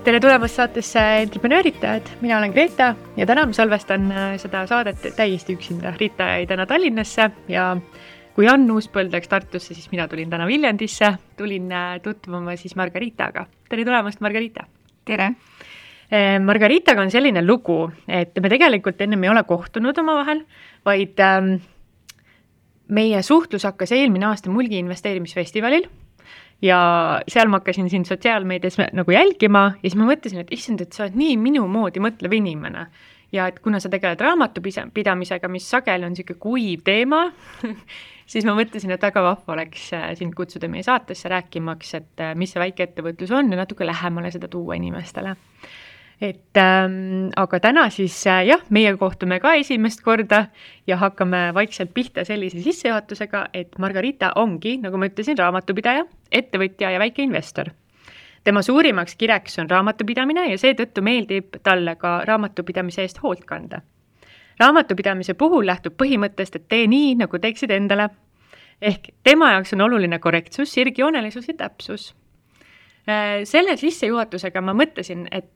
Tere tulemast saatesse Entreprenööritajad, mina olen Greta ja täna ma salvestan seda saadet täiesti üksinda. Rita jäi täna Tallinnasse ja kui Ann Uuspõld läks Tartusse, siis mina tulin täna Viljandisse, tulin tutvuma siis Margaritaga. Tere tulemast, Margarita! Tere! Margaritaga on selline lugu, et me tegelikult ennem ei ole kohtunud omavahel, vaid meie suhtlus hakkas eelmine aasta Mulgi investeerimisfestivalil. Ja seal ma hakkasin siin sotsiaalmeedias nagu jälgima ja siis ma mõtlesin, et issand, et sa oled nii minu moodi mõtlev inimene. Ja et kuna sa tegeled raamatupidamisega, mis sageli on selline kuiv teema, siis ma mõtlesin, et väga vahva oleks sind kutsuda meie saatesse rääkimaks, et mis see väikeettevõtlus on ja natuke lähemale seda tuua inimestele. Aga täna siis meie kohtume ka esimest korda ja hakkame vaikselt pihta sellise sissejuhatusega, et Margarita ongi, nagu ma ütlesin, raamatupidaja, ettevõtja ja väike investor. Tema suurimaks kireks on raamatupidamine ja seetõttu meeldib talle ka raamatupidamise eest hoolt kanda. Raamatupidamise puhul lähtub põhimõttest, et tee nii, nagu teeksid endale. Ehk tema jaoks on oluline korrektsus, sirgjoonelisus ja täpsus. Selle sissejuhatusega ma mõtlesin, et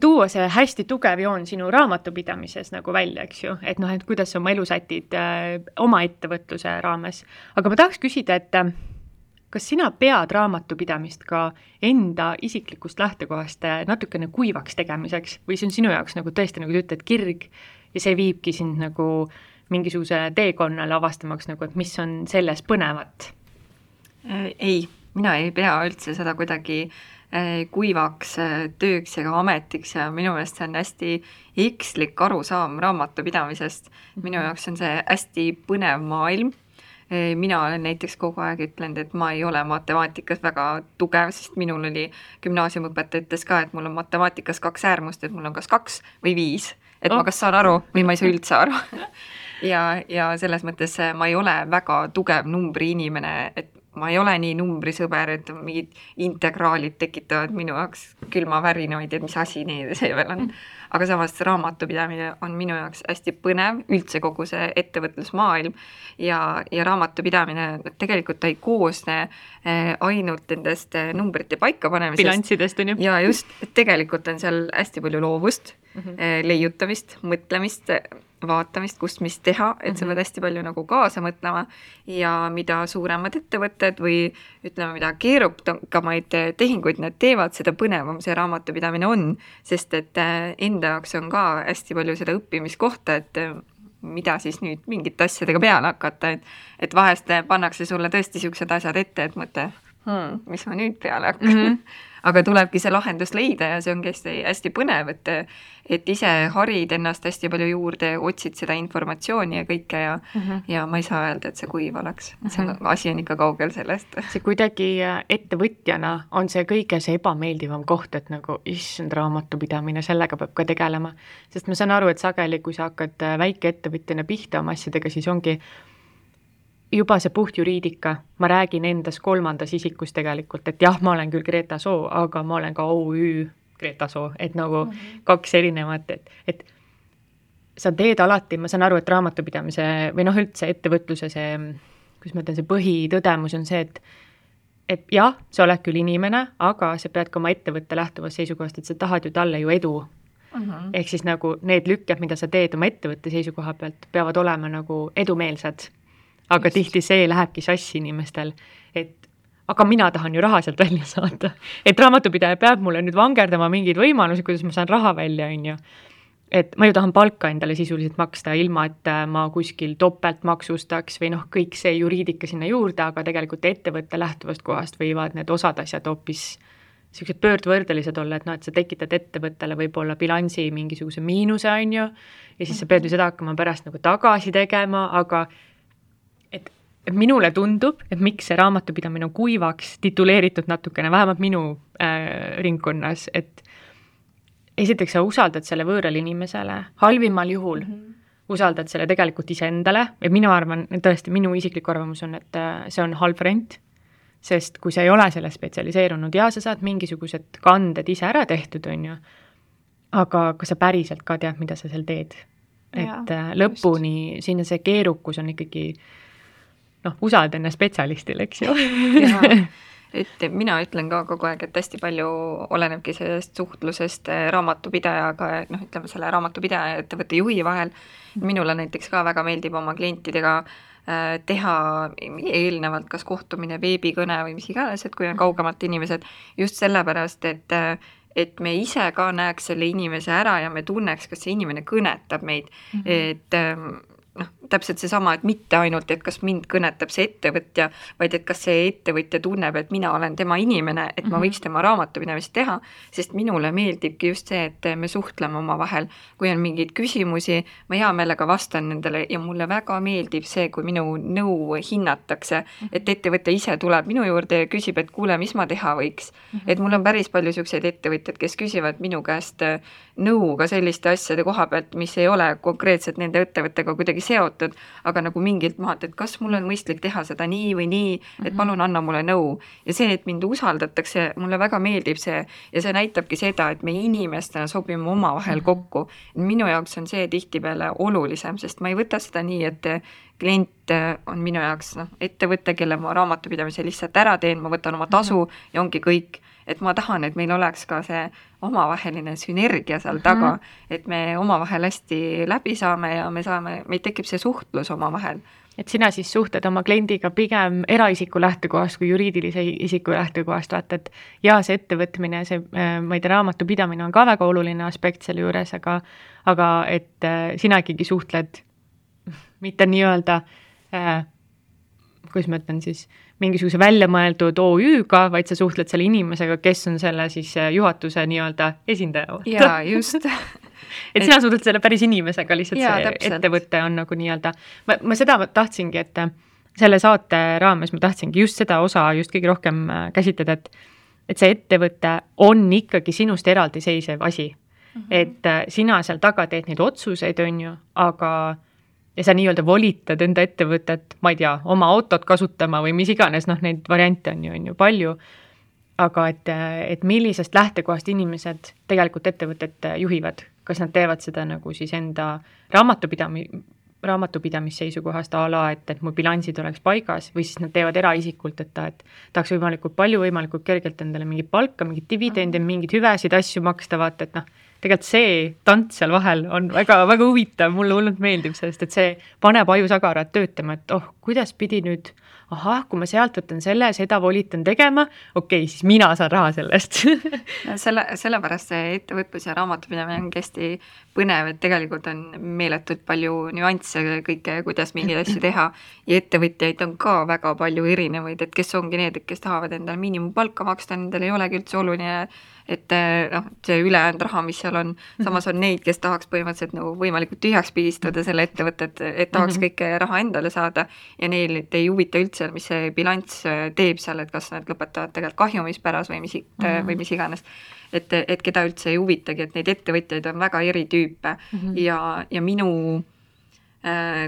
tuua see hästi tugev joon sinu raamatupidamises nagu välja, eks ju, et kuidas sa oma elu sätid oma ettevõtluse raames. Aga ma tahaks küsida, et kas sina pead raamatupidamist ka enda isiklikust lähtekohast natukene kuivaks tegemiseks või see on sinu jaoks nagu tõesti, nagu sa ütled, kirg ja see viibki sind nagu mingisuguse teekonnale avastamaks, nagu, et mis on selles põnevat? Ei, mina ei pea üldse seda kuidagi kuivaks tööks ja ametiks ja minu meelest see on hästi ekslik arusaam raamatupidamisest. Minu jaoks on see hästi põnev maailm. Mina olen näiteks kogu aeg ütlenud, et ma ei ole matemaatikas väga tugev, sest minul oli gümnaasiumõpetaja ütles ka, et mul on matemaatikas 2 äärmust, et mul on kas 2 või 5, et ma kas saan aru või ma ei saa üldse aru. ja selles mõttes ma ei ole väga tugev numbri inimene, et ma ei ole nii numbrisõber, et mingid integraalid tekitavad minu jaoks külmavärinaid, et mis asi see veel on. Aga samas raamatupidamine on minu jaoks hästi põnev, üldse kogu see ettevõtlusmaailm ja raamatupidamine tegelikult ei koosne ainult nendest numbrite paikapanemisest. Bilanssidest on ju. Ja just, tegelikult on seal hästi palju loovust, leiutamist, mõtlemist, vaatamist, kust mis teha, et sa pead hästi palju nagu kaasa mõtlema ja mida suuremad ettevõtted või ütleme, mida keerukamaid tehinguid nad teevad, seda põnevam see raamatupidamine on, sest et enda jaoks on ka hästi palju seda õppimiskohta, et mida siis nüüd mingite asjadega peale hakata, et vahest pannakse sulle tõesti siuksed asjad ette, et mõtle, mis ma nüüd peale hakkan. Aga tulebki see lahendus leida ja see ongi hästi põnev, et ise harid ennast hästi palju juurde, otsid seda informatsiooni ja kõike ja ma ei saa öelda, et see kuiv oleks. See asi on ikka kaugel sellest. See kuidagi ettevõtjana on see kõige see ebameeldivam koht, et nagu issand raamatupidamine, sellega peab ka tegelema. Sest ma saan aru, et sageli, kui sa hakkad väike ettevõtjana pihta oma asjadega, siis ongi juba see puht juriidika, ma räägin endas 3. isikus tegelikult, et jah, ma olen küll Greta Soo, aga ma olen ka OÜ Greta Soo, et nagu 2 erinevat, et sa teed alati, ma saan aru, et raamatupidamise või üldse ettevõtluse see, kus ma ütlen, see põhitõdemus on see, et jah, sa oled küll inimene, aga sa pead ka oma ettevõtte lähtuvast seisukohast, et sa tahad ju talle ju edu. Ehk siis nagu need lükked, mida sa teed oma ettevõtte seisukoha pealt, peavad olema nagu edumeelsed. Aga tihti see lähebki sassi inimestel, et aga mina tahan ju raha sealt välja saada. Et raamatupidaja peab mulle nüüd vangerdama mingeid võimalusi, kuidas ma saan raha välja, on ju. Et ma ju tahan palka endale sisuliselt maksta, ilma et ma kuskil topelt maksustaks või kõik see juriidika sinna juurde, aga tegelikult ettevõtte lähtuvast kohast võivad need osad asjad hoopis sellised pöördvõrdelised olla, et et sa tekitad ettevõttele võib-olla bilansi mingisuguse miinuse, on ju, ja siis sa pead ju seda hakkama pärast nagu tagasi tegema, aga et minule tundub, et miks see raamatupidamine on kuivaks tituleeritud natukene, vähemalt minu ringkonnas, et esiteks sa usaldad selle võõrale inimesele, halvimal juhul usaldad selle tegelikult iseendale, et minu arvan, tõesti minu isiklik arvamus on, et see on halb variant, sest kui sa ei ole selle spetsialiseerunud ja sa saad mingisugused kanded ise ära tehtud, on ju, aga kas sa päriselt ka tead, mida sa seal teed? Et lõpuni, siin see keerukus on ikkagi usalda enne spetsialistile, eks ju. et mina ütlen ka kogu aeg, et hästi palju olenebki sellest suhtlusest raamatupidajaga, noh, ütleme selle raamatupidaja ja ettevõtte juhi vahel. Minule näiteks ka väga meeldib oma klientidega teha eelnevalt kas kohtumine, veebikõne või mis iganes, et kui on kaugemalt inimesed, just sellepärast, et me ise ka näeks selle inimese ära ja me tunneks, kas see inimene kõnetab meid, et noh, täpselt seesama, et mitte ainult, et kas mind kõnetab see ettevõtja, vaid et kas see ettevõtja tunneb, et mina olen tema inimene, et ma võiks tema raamatupidamist teha, sest minule meeldibki just see, et me suhtleme omavahel. Kui on mingeid küsimusi, ma hea meelega vastan nendele ja mulle väga meeldib see, kui minu nõu hinnatakse, et ettevõtja ise tuleb minu juurde ja küsib, et kuule, mis ma teha võiks. Et mul on päris palju selliseid ettevõtjad, kes küsivad minu käest nõu ka selliste asjade koha pealt, mis ei ole konkreetselt nende ettevõttega kuidagi seotud, aga nagu mingilt maalt, et kas mul on mõistlik teha seda nii või nii, et palun anna mulle nõu. Ja see, et mind usaldatakse, mulle väga meeldib see ja see näitabki seda, et me inimestena sobime omavahel kokku. Minu jaoks on see tihtipeale olulisem, sest ma ei võta seda nii, et klient on minu jaoks ettevõte, kelle ma raamatupidamise lihtsalt ära teen, ma võtan oma tasu ja ongi kõik. Et ma tahan, et meil oleks ka see omavaheline sünergia seal taga, et me omavahel hästi läbi saame ja meil tekib see suhtlus omavahel. Et sina siis suhtled oma kliendiga pigem eraisiku lähtekohast kui juriidilise isiku lähtekohast, vaata, et ja see ettevõtmine, see, ma ei tea, raamatupidamine on ka väga oluline aspekt selle juures, aga et sina ikkagi suhtled mitte nii-öelda, kuidas ma ütlen siis, mingisuguse väljamõeldud OÜ-ga, vaid sa suhtled selle inimesega, kes on selle siis juhatuse nii-öelda esindaja. Jaa, just. Et sina suhtled selle päris inimesega, lihtsalt jaa, see täpselt. Ettevõte on nagu nii-öelda, ma seda tahtsingi, et selle saate raames ma tahtsingi just seda osa just kõige rohkem käsitleda, et see ettevõte on ikkagi sinust eraldiseisev asi. Et sina seal taga teed neid otsuseid, on ju, aga ja sa nii-öelda volitad enda ettevõtet, ma ei tea, oma autot kasutama või mis iganes, neid variante on ju palju, aga et millisest lähtekohast inimesed tegelikult ettevõtet juhivad, kas nad teevad seda nagu siis enda raamatupidamisseisukohast a la, et mu bilansid oleks paigas või siis nad teevad eraisikult, et tahaks võimalikult palju, võimalikult kergelt endale mingit palka, mingit dividende, mingid hüvesid, asju maksta, vaata, et tegelikult see tants seal vahel on väga, väga huvitav, mulle hullult meeldib, sest et see paneb ajusagarad töötama, et kuidas pidi nüüd, kui ma sealt võtan selle, seda volitan tegema, okei, siis mina saan raha sellest. Sellepärast see ettevõtlus ja raamatupidamine on hästi põnev, et tegelikult on meeletult palju nüansse kõike, kuidas mingeid asju teha ja ettevõtjaid on ka väga palju erinevaid, et kes ongi need, kes tahavad endale miinimumpalka maksta, nendel ei olegi üldse oluline, et see ülejäänud raha, mis seal on, samas on neid, kes tahaks põhimõtteliselt nagu võimalikult tühjaks pigistada selle ettevõtet, et tahaks kõike raha endale saada ja neil ei huvita üldse, mis see bilanss teeb seal, et kas nad lõpetavad tegelikult kahjumispäras või mis iganes. Et keda üldse ei huvitagi, et neid ettevõtjaid on väga eri tüüpe ja minu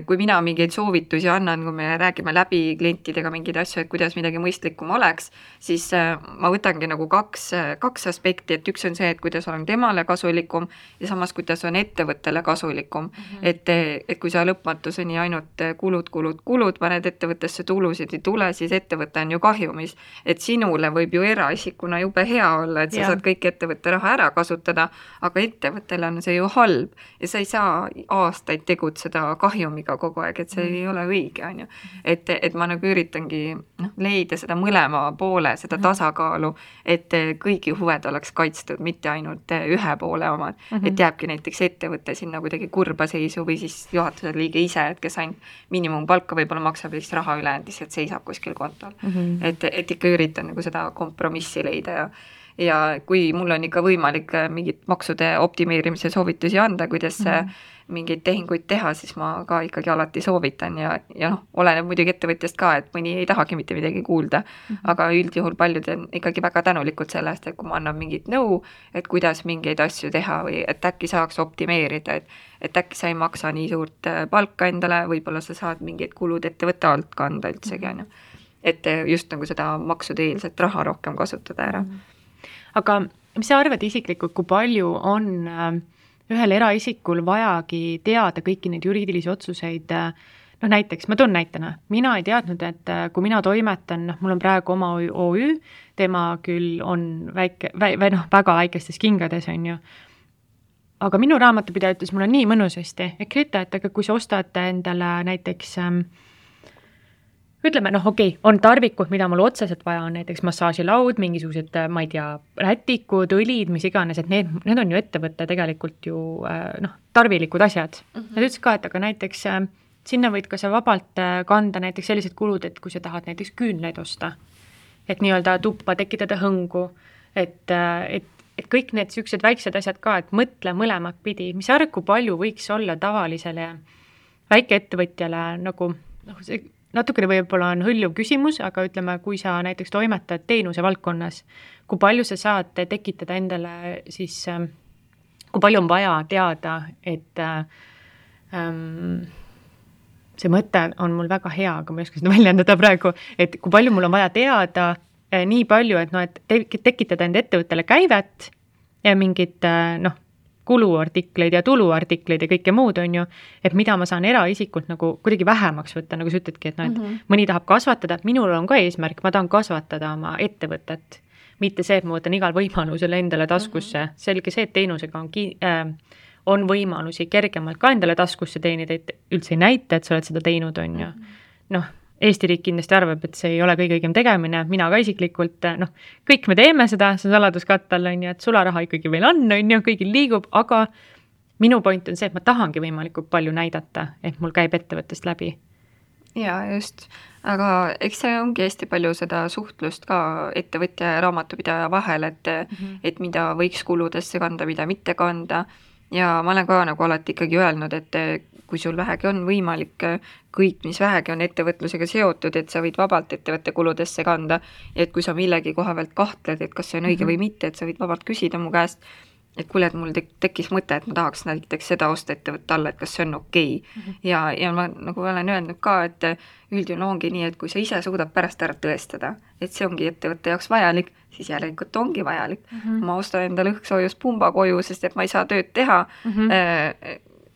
kui mina mingeid soovitusi annan, kui me räägime läbi klientidega mingeid asju, et kuidas midagi mõistlikum oleks, siis ma võtangi nagu kaks aspekti, et üks on see, et kuidas olen temale kasulikum ja samas, kuidas on ettevõttele kasulikum. Et kui sa lõpmatuseni ainult kulud, paned ettevõttesse tulusid ei tule, siis ettevõte on ju kahjumis. Et sinule võib ju eraisikuna jube hea olla, et sa saad kõik ettevõtte raha ära kasutada, aga ettevõttele on see ju halb ja sa ei saa aastaid tegutseda kahjumiga kogu aeg, et see ei ole õige, on ju. Et ma nagu üritangi leida seda mõlema poole, seda tasakaalu, et kõigi huved oleks kaitstud, mitte ainult ühe poole omad. Et jääbki näiteks ettevõte sinna kuidagi kurba seisu või siis juhatuse liige ise, et kes ainult miinimumpalka võib-olla maksab ja siis raha ülejäänud lihtsalt seisab kuskil kontol. Et ikka üritan nagu seda kompromissi leida ja kui mul on ikka võimalik mingit maksude optimeerimise soovitusi anda, kuidas mingeid tehinguid teha, siis ma ka ikkagi alati soovitan ja oleneb muidugi ettevõtjast ka, et mõni ei tahagi mitte midagi kuulda, aga üldjuhul paljud on ikkagi väga tänulikud sellest, et kui ma annan mingit nõu, et kuidas mingeid asju teha või et äkki saaks optimeerida, et äkki sa ei maksa nii suurt palka endale, võib-olla sa saad mingeid kulud ettevõtte alt kanda üldsegi, on ju. Et just nagu seda maksude-eelset raha rohkem kasutada ära. Aga mis sa arvad isiklikult, kui palju on ühel eraisikul vajagi teada kõiki neid juriidilisi otsuseid noh näiteks, ma toon näitena, mina ei teadnud, et kui mina toimetan, noh mul on praegu oma OÜ, tema küll on väike, väga väikestes kingades, on ju, aga minu raamatupidaja ütles mulle nii mõnusasti, et Grete, et aga kui sa ostad endale näiteks ütleme, noh okei, on tarvikud, mida mul otseselt vaja on, näiteks massaažilaud, mingisugused, ma ei tea, rätikud, õlid, mis iganes, et need on ju ettevõtte tegelikult ju noh, tarvilikud asjad. Nad ütles ka, et aga näiteks sinna võid ka sa vabalt kanda näiteks sellised kulud, et kui sa tahad näiteks küünleid osta, et nii-öelda tuppa tekitada hõngu, et kõik need siuksed väiksed asjad ka, et mõtle mõlemat pidi, mis arv, kui palju võiks olla tavalisele väikeettevõtjale nagu, noh, see natukene võib-olla on hõljuv küsimus, aga ütleme, kui sa näiteks toimetad teenuse valdkonnas, kui palju sa saad tekitada endale siis, kui palju on vaja teada, et see mõte on mul väga hea, aga ma ei oska seda väljendada praegu, et kui palju mul on vaja teada nii palju, et, no, et tekitada enda ettevõttele käivet ja mingid noh, kuluartikleid ja tuluartikleid ja kõike muud on ju, et mida ma saan eraisikult nagu kuidagi vähemaks võtta, nagu sa ütledki, et, no, et mõni tahab kasvatada, et minul on ka eesmärk, ma tahan kasvatada oma ettevõtet, mitte see, et ma võtan igal võimalusel endale taskusse, selge see, et teenusega on võimalusi kergemalt ka endale taskusse teenida, et üldse ei näita, et sa oled seda teinud, on ju. Noh, Eesti riik kindlasti arvab, et see ei ole kõige õigem tegemine, mina ka isiklikult, noh, kõik me teeme seda, see on saladuskattal, on ju, et sularaha ikkagi veel on ju, kõigil liigub, aga minu point on see, et ma tahangi võimalikult palju näidata, et mul käib ettevõttest läbi. Jaa, just. Aga eks see ongi hästi palju seda suhtlust ka ettevõtja ja raamatupidaja vahel, et mida võiks kuludesse kanda, mida mitte kanda. Ja ma olen ka nagu alati ikkagi öelnud, et kui sul vähegi on võimalik kõik, mis vähegi on ettevõtlusega seotud, et sa võid vabalt ettevõtte kuludesse kanda, ja et kui sa millegi koha pealt kahtled, et kas see on õige või mitte, et sa võid vabalt küsida mu käest, et kuule, et mul tekkis mõte, et ma tahaks näiteks seda osta ettevõtte alla, et kas see on okei. Ja ma nagu olen öelnud ka, et üldjuhul ongi nii, et kui sa ise suudad pärast ära tõestada, et see ongi ettevõtte jaoks vajalik, siis järelikult ongi vajalik. Ma ostan endale õhksoojuspumba koju, sest et ma ei saa tööd teha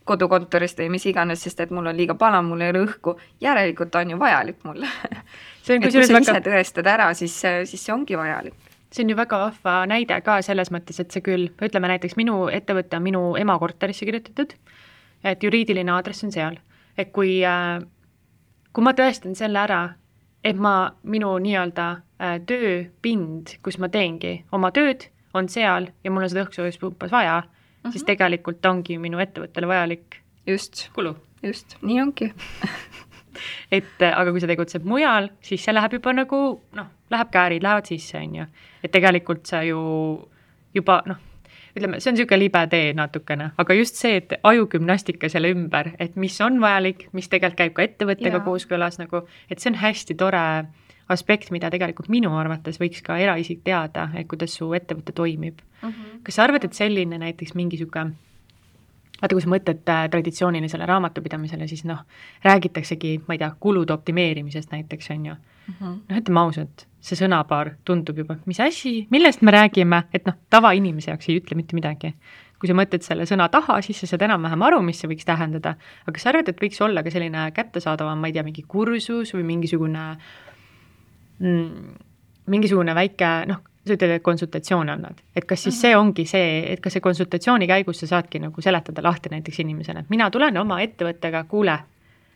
kodukontorist või mis iganes, sest et mul on liiga pala, mul ei ole õhku, järelikult on ju vajalik mulle. Et kui sa ise tõestad ära, siis see ongi vajalik. See on ju väga vahva näide ka selles mõttes, et see küll, ütleme näiteks minu ettevõtte on minu ema korterisse kirjutatud, et juriidiline aadress on seal. Et kui ma tõestan selle ära, et minu nii-öelda tööpind, kus ma teengi oma tööd, on seal ja mul on seda õhksoojuspumpas vaja, siis tegelikult ongi minu ettevõttele vajalik kulu. Just, nii ongi. Aga kui sa tegutseb mujal, siis see läheb juba nagu, noh, läheb käärid, lähevad sisse, on ju. Et tegelikult sa ju juba, noh, ütleme, see on niisugune libe tee natukene, aga just see, et ajugümnastika selle ümber, et mis on vajalik, mis tegelikult käib ka ettevõttega kooskõlas, nagu, et see on hästi tore aspekt, mida tegelikult minu arvates võiks ka eraisik teada, et kuidas su ettevõte toimib. Kas sa arvad, et selline näiteks mingisugune, vaata, kui sa mõtled traditsioonilisele raamatupidamisele, siis noh, räägitaksegi, ma ei tea, kulude optimeerimisest näiteks, on ju. Noh, ütleme ausalt, see sõnapaar tundub juba, mis asi, millest me räägime, et noh, tavainimese jaoks ei ütle mitte midagi. Kui sa mõtled selle sõna taha, siis sa saad enam-vähem aru, mis see võiks tähendada. Aga sa arvad, et võiks olla ka selline kättesaadavam, ma ei tea, mingi kursus või mingisugune väike, noh, sa ütled, et konsultatsioon annad. Et kas siis see ongi see, et kas see konsultatsiooni käigus sa saadki nagu seletada lahti näiteks inimesele, et mina tulen oma ettevõttega, kuule,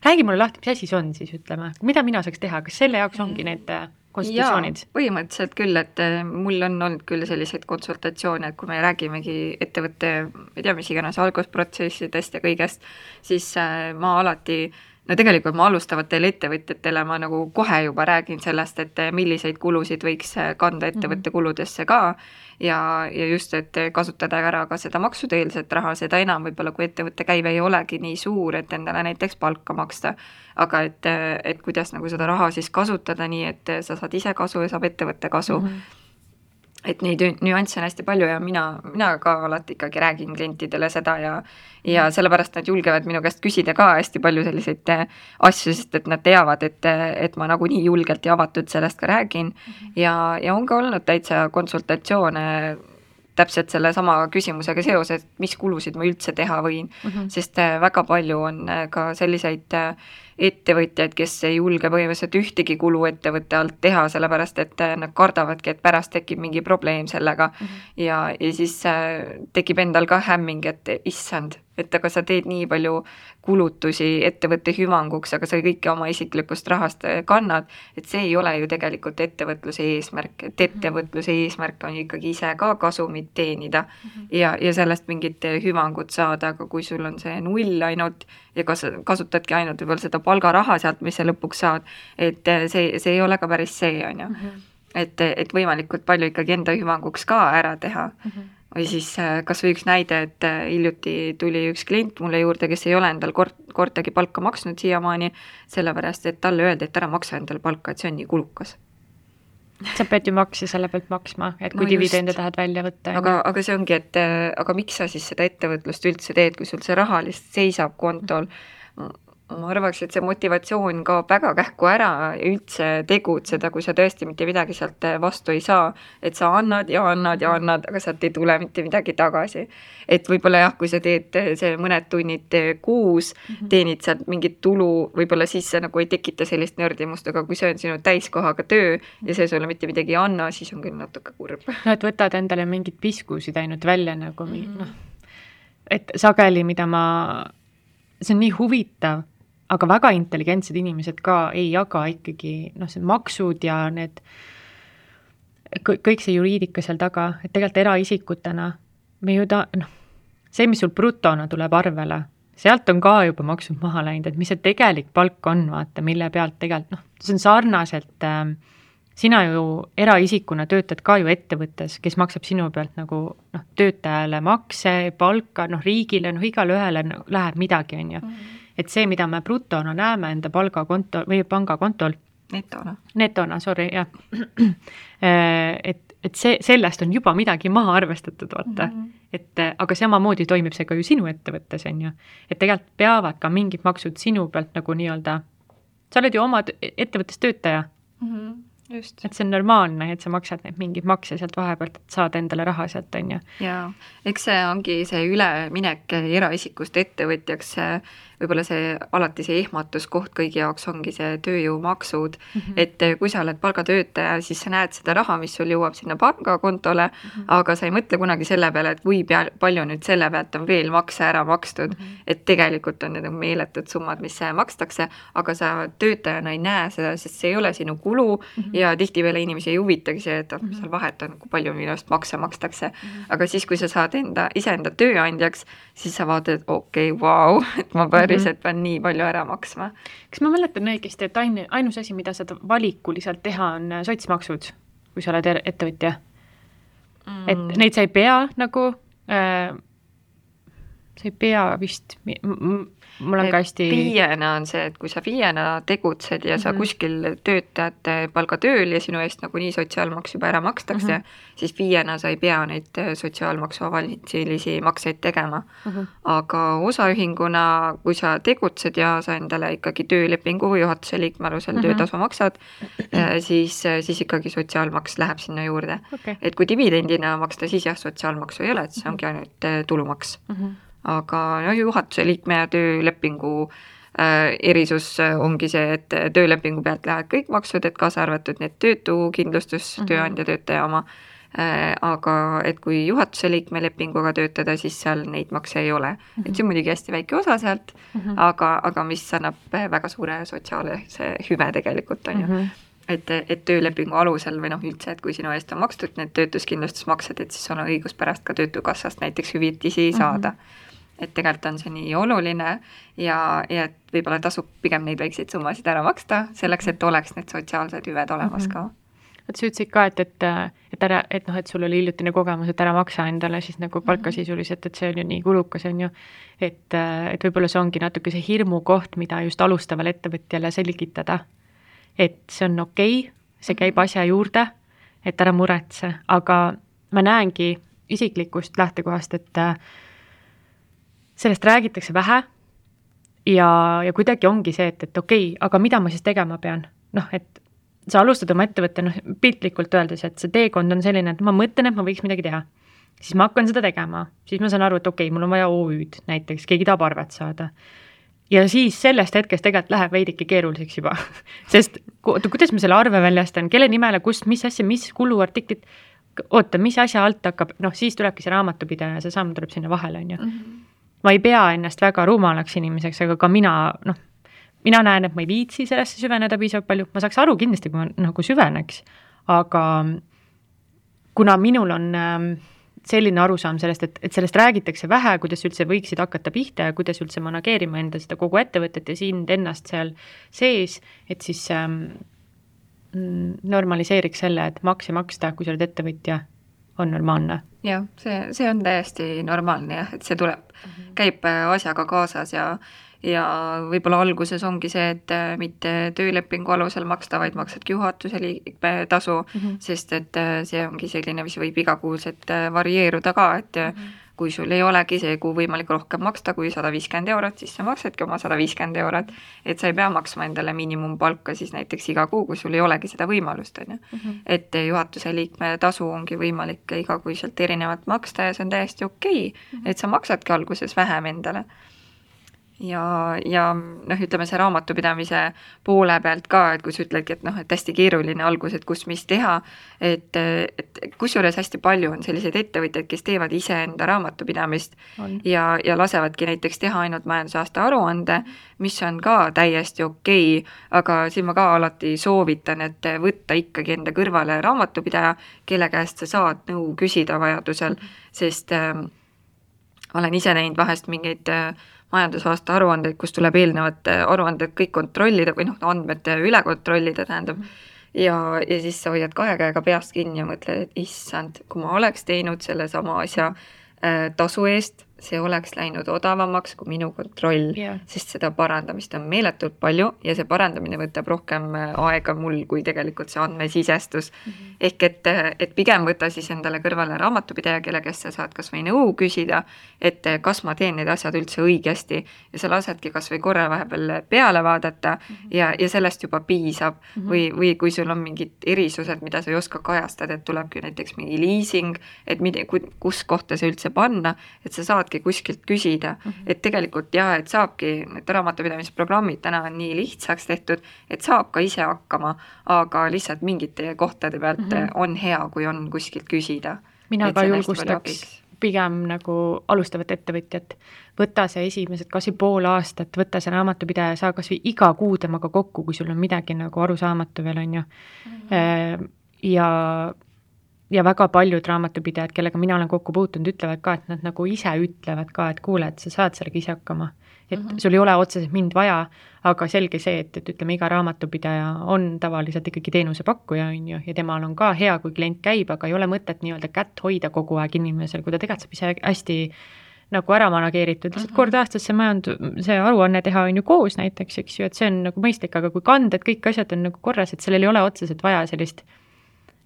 räägi mulle lahti, mis asi see on siis, ütleme, mida mina saaks teha, kas selle jaoks ongi need konsultatsioonid? Jaa, põhimõtteliselt küll, et mul on olnud küll selliseid konsultatsioone, et kui me räägimegi ettevõtte, ei tea, mis iganes algusprotsessidest ja kõigest, siis ma alati no tegelikult ma alustavatele ettevõtjatele ma nagu kohe juba räägin sellest, et milliseid kulusid võiks kanda ettevõtte kuludesse ka ja just, et kasutada ära ka seda maksuteelset raha, seda enam võib-olla, kui ettevõtte käive ei olegi nii suur, et endale näiteks palka maksta, aga et kuidas nagu seda raha siis kasutada nii, et sa saad ise kasu ja saab ettevõtte kasu. Et neid nüansse on hästi palju ja mina ka alati ikkagi räägin klientidele seda ja sellepärast nad julgevad minu käest küsida ka hästi palju selliseid asju, sest et nad teavad, et ma nagu nii julgelt ja avatud sellest ka räägin ja on ka olnud täitsa konsultatsioone täpselt selle sama küsimusega seoses, mis kulusid ma üldse teha võin, sest väga palju on ka selliseid ettevõtjaid, kes ei julge põhimõtteliselt ühtegi kulu ettevõtte alt teha, sellepärast et nad kardavadki, et pärast tekib mingi probleem sellega ja siis tekib endal ka hämming, et issand, et aga sa teed nii palju kulutusi ettevõtte hüvanguks, aga sa kõike oma isiklikust rahast kannad, et see ei ole ju tegelikult ettevõtluse eesmärk, et ettevõtluse eesmärk on ikkagi ise ka kasumit teenida ja sellest mingit hüvangut saada, aga kui sul on see null ainult ja kasutadki ainult võib-olla seda palgaraha sealt, mis sa lõpuks saad, et see ei ole ka päris see, on ju. Et võimalikult palju ikkagi enda hüvanguks ka ära teha. Või siis kas või üks näide, et hiljuti tuli üks klient mulle juurde, kes ei ole endal kordagi palka maksnud siiamaani, sellepärast, et talle öeldi, et ära maksa endale palka, et see on nii kulukas. Sa pead ju makse selle pealt maksma, et kui dividende tahad välja võtta. Aga see ongi, et aga miks sa siis seda ettevõtlust üldse teed, kui sul see raha lihtsalt seisab kontol? Ma arvaks, et see motivatsioon kaob väga kähku ära üldse tegutseda, kui sa tõesti mitte midagi sealt vastu ei saa, et sa annad, aga sealt ei tule mitte midagi tagasi. Et võib-olla jah, kui sa teed see mõned tunnid kuus, teenid sealt mingit tulu, võib-olla siis see nagu ei tekita sellist nördimust, aga kui see on sinu täiskohaga töö ja see sulle mitte midagi ei anna, siis on küll natuke kurb. No, et võtad endale mingid piskusid ainult välja nagu et sageli, mida see on nii huvitav, aga väga intelligentsed inimesed ka ei jaga ikkagi see maksud ja need kõik see juriidika seal taga, et tegelikult eraisikutena me ju see, mis sul brutona tuleb arvele, sealt on ka juba maksud maha läinud, et mis see tegelik palk on, vaata, mille pealt tegelikult, see on sarnaselt, sina ju eraisikuna töötad ka ju ettevõttes, kes maksab sinu pealt nagu töötajale makse, palka, riigile, igale ühele läheb midagi, on ju. Et see, mida me brutona näeme enda palgakonto või pangakontol. Netona, sorry, jah. Et sellest on juba midagi maha arvestatud, vaata. Aga samamoodi toimib see ka ju sinu ettevõttes, on ju. Et tegelikult peavad ka mingid maksud sinu pealt nagu nii-öelda, sa oled ju oma ettevõttes töötaja. Just. Et see on normaalne, et sa maksad neid mingid makse sealt vahepealt, et saad endale raha sealt, on ju. Jaa, eks see ongi see üleminek eraisikust ettevõtjaks, võib-olla see alati see ehmatuskoht kõigi jaoks ongi see tööjõumaksud, et kui sa oled palgatöötaja, siis sa näed seda raha, mis sul jõuab sinna pangakontole, aga sa ei mõtle kunagi selle peale, et kui palju nüüd selle pealt on veel makse ära makstud, et tegelikult on need meeletud summad, mis makstakse, aga sa töötajana ei näe seda, sest see ei ole sinu kulu ja tihtipeale inimesi ei huvitagi see, et mis seal vahet on, kui palju minust makse makstakse. Aga siis, kui sa saad iseenda tööandjaks, siis sa vaatad, et okei, vau, et ma päriselt pean nii palju ära maksma. Kas ma mäletan õigesti, et ainus asi, mida saad valikuliselt teha, on sotsmaksud, kui sa oled ettevõtja? Et neid sa ei pea nagu, sa ei pea vist, mul on ka hästi... Viiena on see, et kui sa viiena tegutsed ja sa kuskil töötajad palgatööl ja sinu eest nagu nii sotsiaalmaks juba ära makstakse, siis viiena sa ei pea neid sotsiaalmaksu avalitsilisi makseid tegema. Aga osaühinguna, kui sa tegutsed ja sa endale ikkagi töölepingu või juhatuse liikme alusel töötasu maksad, siis ikkagi sotsiaalmaks läheb sinna juurde. Et kui dividendina maksta, siis jah, sotsiaalmaksu ei ole, et see ongi ainult tulumaks. Aga juhatuse liikme ja töölepingu erisus ongi see, et töölepingu pealt lähevad kõik maksud, et kaasa arvatud need töötukindlustus, tööandja töötaja oma, aga et kui juhatuse liikme lepinguga töötada, siis seal neid makse ei ole. Et see on muidugi hästi väike osa sealt, aga mis annab väga suure sotsiaalse hüve tegelikult on ju. Et töölepingu alusel või üldse, et kui sinu eest on makstud need töötuskindlustusmaksed, et siis on õigus pärast ka töötukassast näiteks hüvitisi saada. Et tegelikult on see nii oluline ja et võib-olla tasub pigem neid väikseid summasid ära maksta, selleks, et oleks need sotsiaalsed hüved olemas ka. Et sa ütlesid ka, et sul oli hiljutine kogemus, et ära maksa endale siis nagu palka sisuliselt, et see on ju nii kulukas, on ju. Et võib-olla see ongi natuke see hirmu koht, mida just alustaval ettevõtjale selgitada. Et see on okei, see käib asja juurde, et ära muretse, aga ma näengi isiklikust lähtekohast, et sellest räägitakse vähe ja kuidagi ongi see, et okei, aga mida ma siis tegema pean? Et sa alustad oma ettevõtte, piltlikult öeldes, et see teekond on selline, et ma mõtlen, et ma võiks midagi teha. Siis ma hakkan seda tegema. Siis ma saan aru, et okei, mul on vaja OÜ-d näiteks, keegi tahab arvet saada. ja siis sellest hetkest tegelikult läheb veidike keeruliseks juba, sest kuidas ma selle arve väljastan, kelle nimele, kust, mis asja, mis kuluartiklit, oota, mis asja alt hakkab, siis tulebki see raamatupidaja, see samm tuleb sinna vahele, on ju. Ma ei pea ennast väga rumalaks inimeseks, aga ka mina näen, et ma ei viitsi sellesse süveneda piisavalt palju, ma saaks aru kindlasti, kui ma nagu süveneks, aga kuna minul on selline arusaam sellest, et sellest räägitakse vähe, kuidas üldse võiksid hakata pihta ja kuidas üldse manageerima enda seda kogu ettevõtet ja sind ennast seal sees, et siis normaliseeriks selle, et makse maksta, kui sa oled ettevõtja, on normaalne. Jah, see on täiesti normaalne jah, et see tuleb, käib asjaga kaasas ja võib-olla alguses ongi see, et mitte töölepingu alusel maksta, vaid maksadki juhatuse liikme tasu, sest et see ongi selline, mis võib igakuuselt varieeruda ka, et kui sul ei olegi see kuu võimalik rohkem maksta kui 150 €, siis sa maksadki oma 150 €, et sa ei pea maksma endale miinimumpalka siis näiteks iga kuu, kui sul ei olegi seda võimalust, on ju. Et juhatuse liikme tasu ongi võimalik igakuiselt erinevalt maksta ja see on täiesti okei, et sa maksadki alguses vähem endale. Ja ütleme see raamatupidamise poole pealt ka, et kui sa ütledki, et hästi keeruline algus, et kus mis teha, et kusjuures hästi palju on selliseid ettevõtjaid, kes teevad ise enda raamatupidamist ja lasevadki näiteks teha ainult majandusaasta aruande, mis on ka täiesti okei, aga siin ma ka alati soovitan, et võtta ikkagi enda kõrvale raamatupidaja, kelle käest sa saad nõu küsida vajadusel, sest olen ise näinud vahest mingeid majandusaasta aruandeid, kus tuleb eelnevad aruanded kõik kontrollida või andmed üle kontrollida, tähendab. Ja siis sa hoiad 2 käega peast kinni ja mõtled, et issand, kui ma oleks teinud selle sama asja tasu eest, see oleks läinud odavamaks kui minu kontroll, sest seda parandamist on meeletult palju ja see parandamine võtab rohkem aega mul kui tegelikult see andmesisestus. Ehk et pigem võta siis endale kõrvale raamatupidaja, kelle käest sa saad kas või nõu küsida, et kas ma teen need asjad üldse õigesti ja sa lasedki kas või korra vahepeal peale vaadata ja sellest juba piisab või kui sul on mingid erisused, mida sa ei oska kajastada, et tulebki näiteks mingi leasing, et kus kohta see üldse panna, et sa saadki kuskilt küsida, et tegelikult et saabki, need raamatupidamisprogrammid täna on nii lihtsaks tehtud, et saab ka ise hakkama, aga lihtsalt mingite kohtade pealt on hea, kui on kuskilt küsida. Mina ka julgustaks pigem nagu alustavat ettevõtjat, võta see esimesed kas või pool aastat, võta see raamatupidaja, saa kas või iga kuu temaga kokku, kui sul on midagi nagu arusaamatu veel, on ju. Ja väga paljud raamatupidajad, kellega mina olen kokku puutunud, ütlevad ka, et nad nagu ise ütlevad ka, et kuule, et sa saad sellega ise hakkama. Et sul ei ole otseselt mind vaja, aga selge see, et ütleme, iga raamatupidaja on tavaliselt ikkagi teenusepakkuja, on ju, ja temal on ka hea, kui klient käib, aga ei ole mõtet nii-öelda kätt hoida kogu aeg inimesel, kui ta tegelikult saab ise hästi nagu ära manageeritud, lihtsalt kord aastas see aruanne teha on ju koos näiteks, eks ju, et see on nagu mõistlik, aga kui kanded, kõik asjad on nagu korras, et sellel ei ole otseselt vaja sellist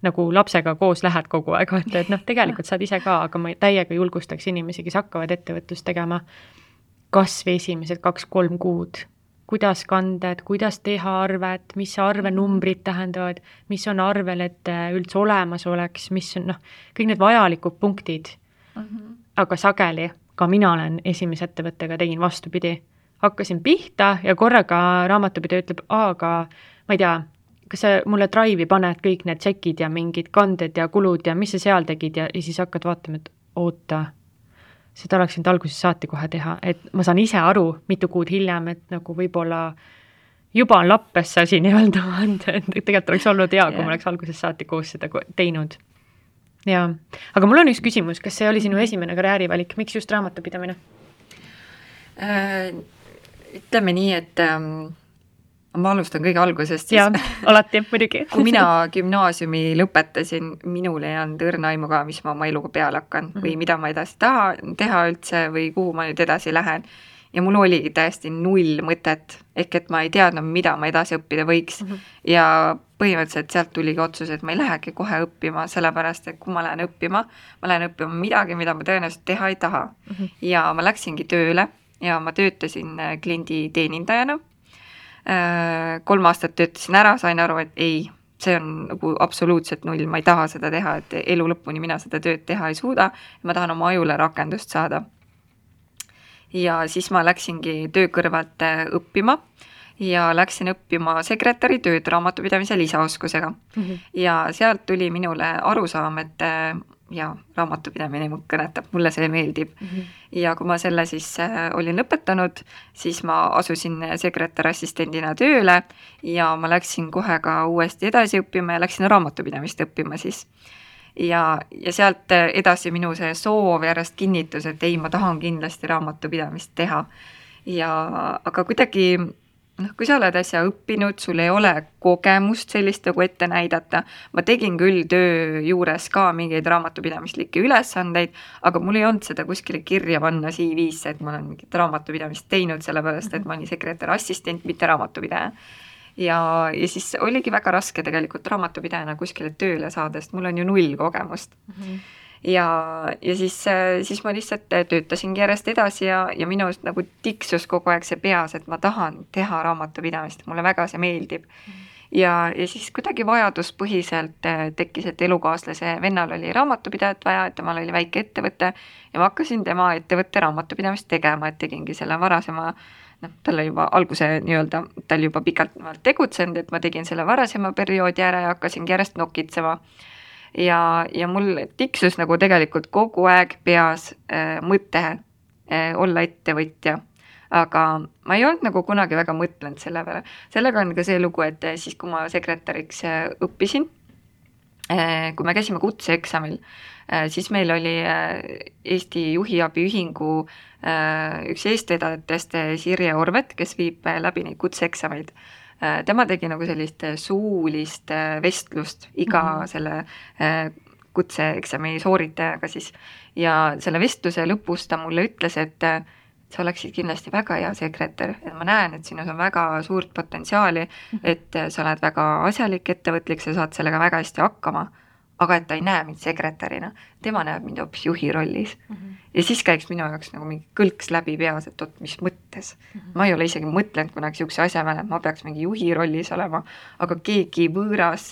nagu lapsega koos lähed kogu aeg, et tegelikult saad ise ka, aga ma täiega julgustaks inimesi, kes hakkavad ettevõtlust tegema kas või esimesed 2-3 kuud, kuidas kanded, kuidas teha arvet, mis arvenumbrid tähendavad, mis on arvel, et üldse olemas oleks, mis on kõik need vajalikud punktid, aga sageli, ka mina olen esimese ettevõttega tegin vastupidi, hakkasin pihta ja korraga raamatupidaja ütleb, aga ma ei tea, kas sa mulle Drive'i paned kõik need tšekid ja mingid kanded ja kulud ja mis sa seal tegid ja siis hakkad vaatama, et oota, seda oleks nüüd alguses saati kohe teha, et ma saan ise aru mitu kuud hiljem, et nagu võib-olla juba on lappes see asi nii-öelda, et tegelikult oleks olnud hea, kui ma oleks alguses saati koos seda teinud. Ja, aga mul on üks küsimus, kas see oli sinu esimene karjäärivalik, miks just raamatupidamine? Ütleme nii, et ma alustan kõige algusest. Jaa, alati, muidugi. Kui mina gümnaasiumi lõpetasin, minul ei olnud õrna aimu ka, mis ma oma eluga peale hakkan või mida ma edasi tahan teha üldse või kuhu ma nüüd edasi lähen. Ja mul oligi täiesti 0 mõtet, ehk et ma ei teadnud, mida ma edasi õppida võiks. Ja põhimõtteliselt sealt tuligi otsus, et ma ei lähegi kohe õppima, sellepärast, et kui ma lähen õppima midagi, mida ma tõenäoliselt teha ei taha. Ja ma läksingi tööle ja ma töötasin kliendi teenindajana. 3 aastat töötasin ära, sain aru, et ei, see on nagu absoluutselt 0, ma ei taha seda teha, et elu lõpuni mina seda tööd teha ei suuda, ma tahan oma ajule rakendust saada. ja siis ma läksingi töö kõrvalt õppima ja läksin õppima sekretäri tööd raamatupidamise lisaoskusega. Ja sealt tuli minule arusaam, et ja raamatupidamine mul kõnetab, mulle see meeldib. Ja kui ma selle siis olin lõpetanud, siis ma asusin sekretärassistendina tööle ja ma läksin kohe ka uuesti edasi õppima ja läksin raamatupidamist õppima siis. Ja sealt edasi minu see soov järjest kinnitus, et ei, ma tahan kindlasti raamatupidamist teha. Aga kuidagi kui sa oled äsja õppinud, sul ei ole kogemust sellist nagu ette näidata, ma tegin küll töö juures ka mingeid raamatupidamislikke ülesandeid, aga mul ei olnud seda kuskile kirja panna CV-sse, et ma olen mingit raamatupidamist teinud, sellepärast, et ma olin sekretärassistent, mitte raamatupidaja. Ja siis oligi väga raske tegelikult raamatupidajana kuskile tööle saada, sest mul on ju 0 kogemust. Ja siis ma lihtsalt töötasingi järjest edasi ja minust nagu tiksus kogu aeg see peas, et ma tahan teha raamatupidamist, mulle väga see meeldib. Ja siis kuidagi vajaduspõhiselt tekkis, et elukaaslase vennal oli raamatupidajat vaja, et temal oli väike ettevõte ja ma hakkasin tema ettevõtte raamatupidamist tegema, et tegingi selle varasema, tal juba alguse nii-öelda, tal juba pikalt tegutsenud, et ma tegin selle varasema perioodi ära ja hakkasingi järjest nokitsema. Ja mul tiksus nagu tegelikult kogu aeg peas mõte olla ettevõtja, aga ma ei olnud nagu kunagi väga mõtlenud selle peale. Sellega on ka see lugu, et siis kui ma sekretäriks õppisin, kui me käisime kutseeksamil, siis meil oli Eesti Juhiabiühingu üks eestvedajatest Sirje Orvet, kes viib läbi neid kutseeksameid. Tema tegi nagu sellist suulist vestlust iga selle kutseeksami sooritajaga siis. Ja selle vestluse lõpus ta mulle ütles, et sa oleksid kindlasti väga hea sekretär, et ma näen, et sinus on väga suurt potentsiaali, et sa oled väga asjalik, ettevõtlik, sa saad sellega väga hästi hakkama, aga et ta ei näe mind sekretärina, tema näeb mind hoopis juhi rollis. Ja siis käiks minu jaoks nagu mingi kõlks läbi peas, et mis mõttes. Ma ei ole isegi mõtlenud kunagi siukse asja peale, et ma peaks mingi juhi rollis olema, aga keegi võõras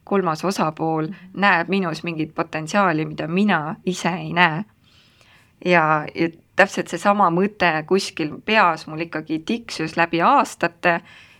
kolmas osapool näeb minus mingit potentsiaali, mida mina ise ei näe. Ja täpselt see sama mõte kuskil peas mul ikkagi tiksus läbi aastate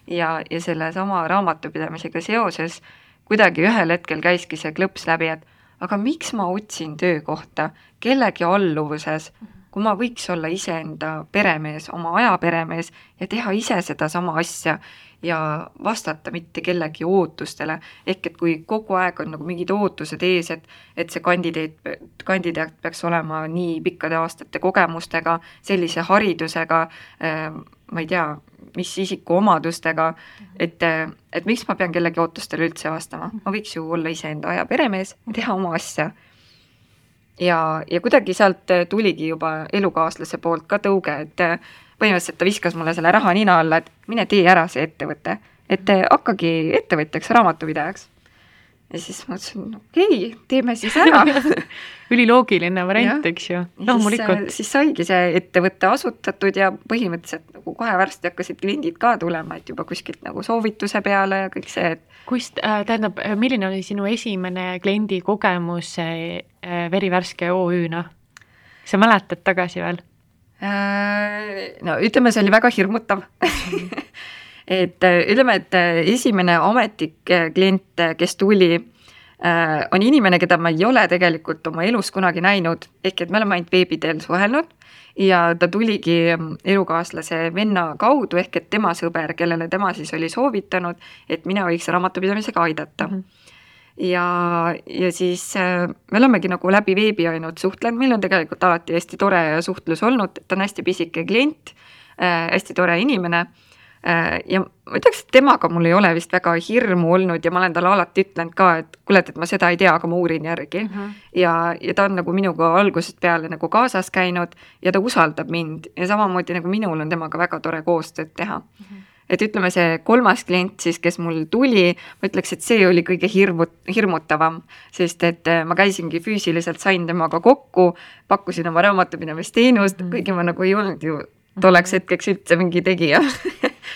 ja selle sama raamatupidamisega seoses kuidagi ühel hetkel käiski see klõps läbi, et aga miks ma otsin töökohta kellegi alluvuses, kui ma võiks olla iseenda peremees, oma aja peremees ja teha ise seda sama asja ja vastata mitte kellegi ootustele. Ehk et kui kogu aeg on nagu mingid ootused ees, et see kandidaat peaks olema nii pikkade aastate kogemustega, sellise haridusega, ma ei tea, mis isiku omadustega, et miks ma pean kellegi ootustele üldse vastama. Ma võiks ju olla iseenda aja peremees ja teha oma asja. Ja kuidagi sealt tuligi juba elukaaslase poolt ka tõuge, et põhimõtteliselt ta viskas mulle selle raha nina alla, et mine tee ära see ettevõte, et hakkagi ettevõtjaks, raamatupidajaks. Ja siis ma ütlesin, okei, teeme siis ära. Üliloogiline variant, eks ju. Siis saigi see ettevõtte asutatud ja põhimõtteliselt nagu kohe varsti hakkasid kliendid ka tulema, et juba kuskilt nagu soovituse peale ja kõik see. Tähendab, milline oli sinu esimene kliendi kogemus Verivärske OÜ-na? Sa mäletad tagasi veel? No ütleme, see oli väga hirmutav. Ütleme, et esimene ametlik klient, kes tuli, on inimene, keda ma ei ole tegelikult oma elus kunagi näinud, ehk et me oleme ainult veebiteel suhelnud ja ta tuligi elukaaslase venna kaudu, ehk et tema sõber, kellele tema siis oli soovitanud, et mina võiks raamatupidamisega aidata. Ja siis me olemegi nagu läbi veebi ainult suhtlenud, meil on tegelikult alati hästi tore suhtlus olnud, ta on hästi pisike klient, hästi tore inimene ja ma ütleks, et temaga mul ei ole vist väga hirmu olnud ja ma olen talle alati ütlenud ka, et kuule, et ma seda ei tea, aga ma uurin järgi. Ja ta on nagu minuga algusest peale nagu kaasas käinud ja ta usaldab mind ja samamoodi nagu minul on temaga väga tore koostööd teha. Et ütleme, see kolmas klient siis, kes mul tuli, ma ütleks, et see oli kõige hirmutavam, sest et ma käisingi füüsiliselt, sain temaga kokku, pakkusin oma raamatupidamisteenust, kuigi ma nagu ei olnud ju tolleks hetkeks üldse mingi tegija.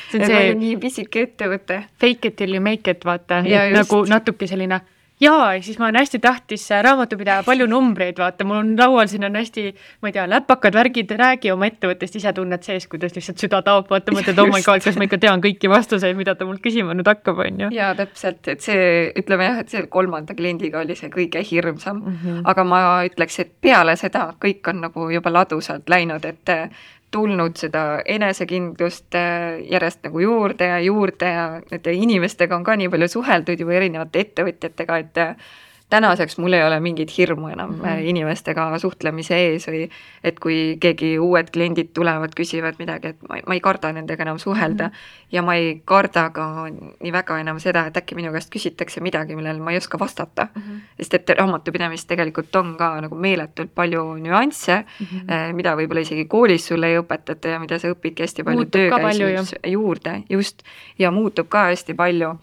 See on see nii pisike ettevõte. Fake it till you make it, vaata, et nagu natuke selline jaa, siis ma olen hästi tahtis raamatupidaja, palju numbreid, vaata, mul on laual siin on hästi, ma ei tea, läpakad, värgid, räägi oma ettevõttest, ise tunned sees, kuidas lihtsalt süda taob, vaata, mõtled, oh my god, kas ma ikka tean kõiki vastuseid, mida ta mul küsima nüüd hakkab, on ju. Jaa, täpselt, et see, ütleme jah, et see 3. kliendiga oli see kõige hirmsam, aga ma ütleks, et peale seda kõik on nagu juba ladusalt läinud, et tulnud seda enesekindlust järjest nagu juurde ja nende inimestega on ka nii palju suheldud juba erinevate ettevõtjatega, et tänaseks mul ei ole mingit hirmu enam inimestega suhtlemise ees või et kui keegi uued kliendid tulevad, küsivad midagi, et ma ei karda nendega enam suhelda ja ma ei karda ka nii väga enam seda, et äkki minu käest küsitakse midagi, millele ma ei oska vastata. Sest et raamatupidamist tegelikult on ka nagu meeletult palju nüansse, mida võib-olla isegi koolis sulle ei õpetata ja mida sa õpidki hästi palju töökäisus juurde, just, ja muutub ka hästi palju.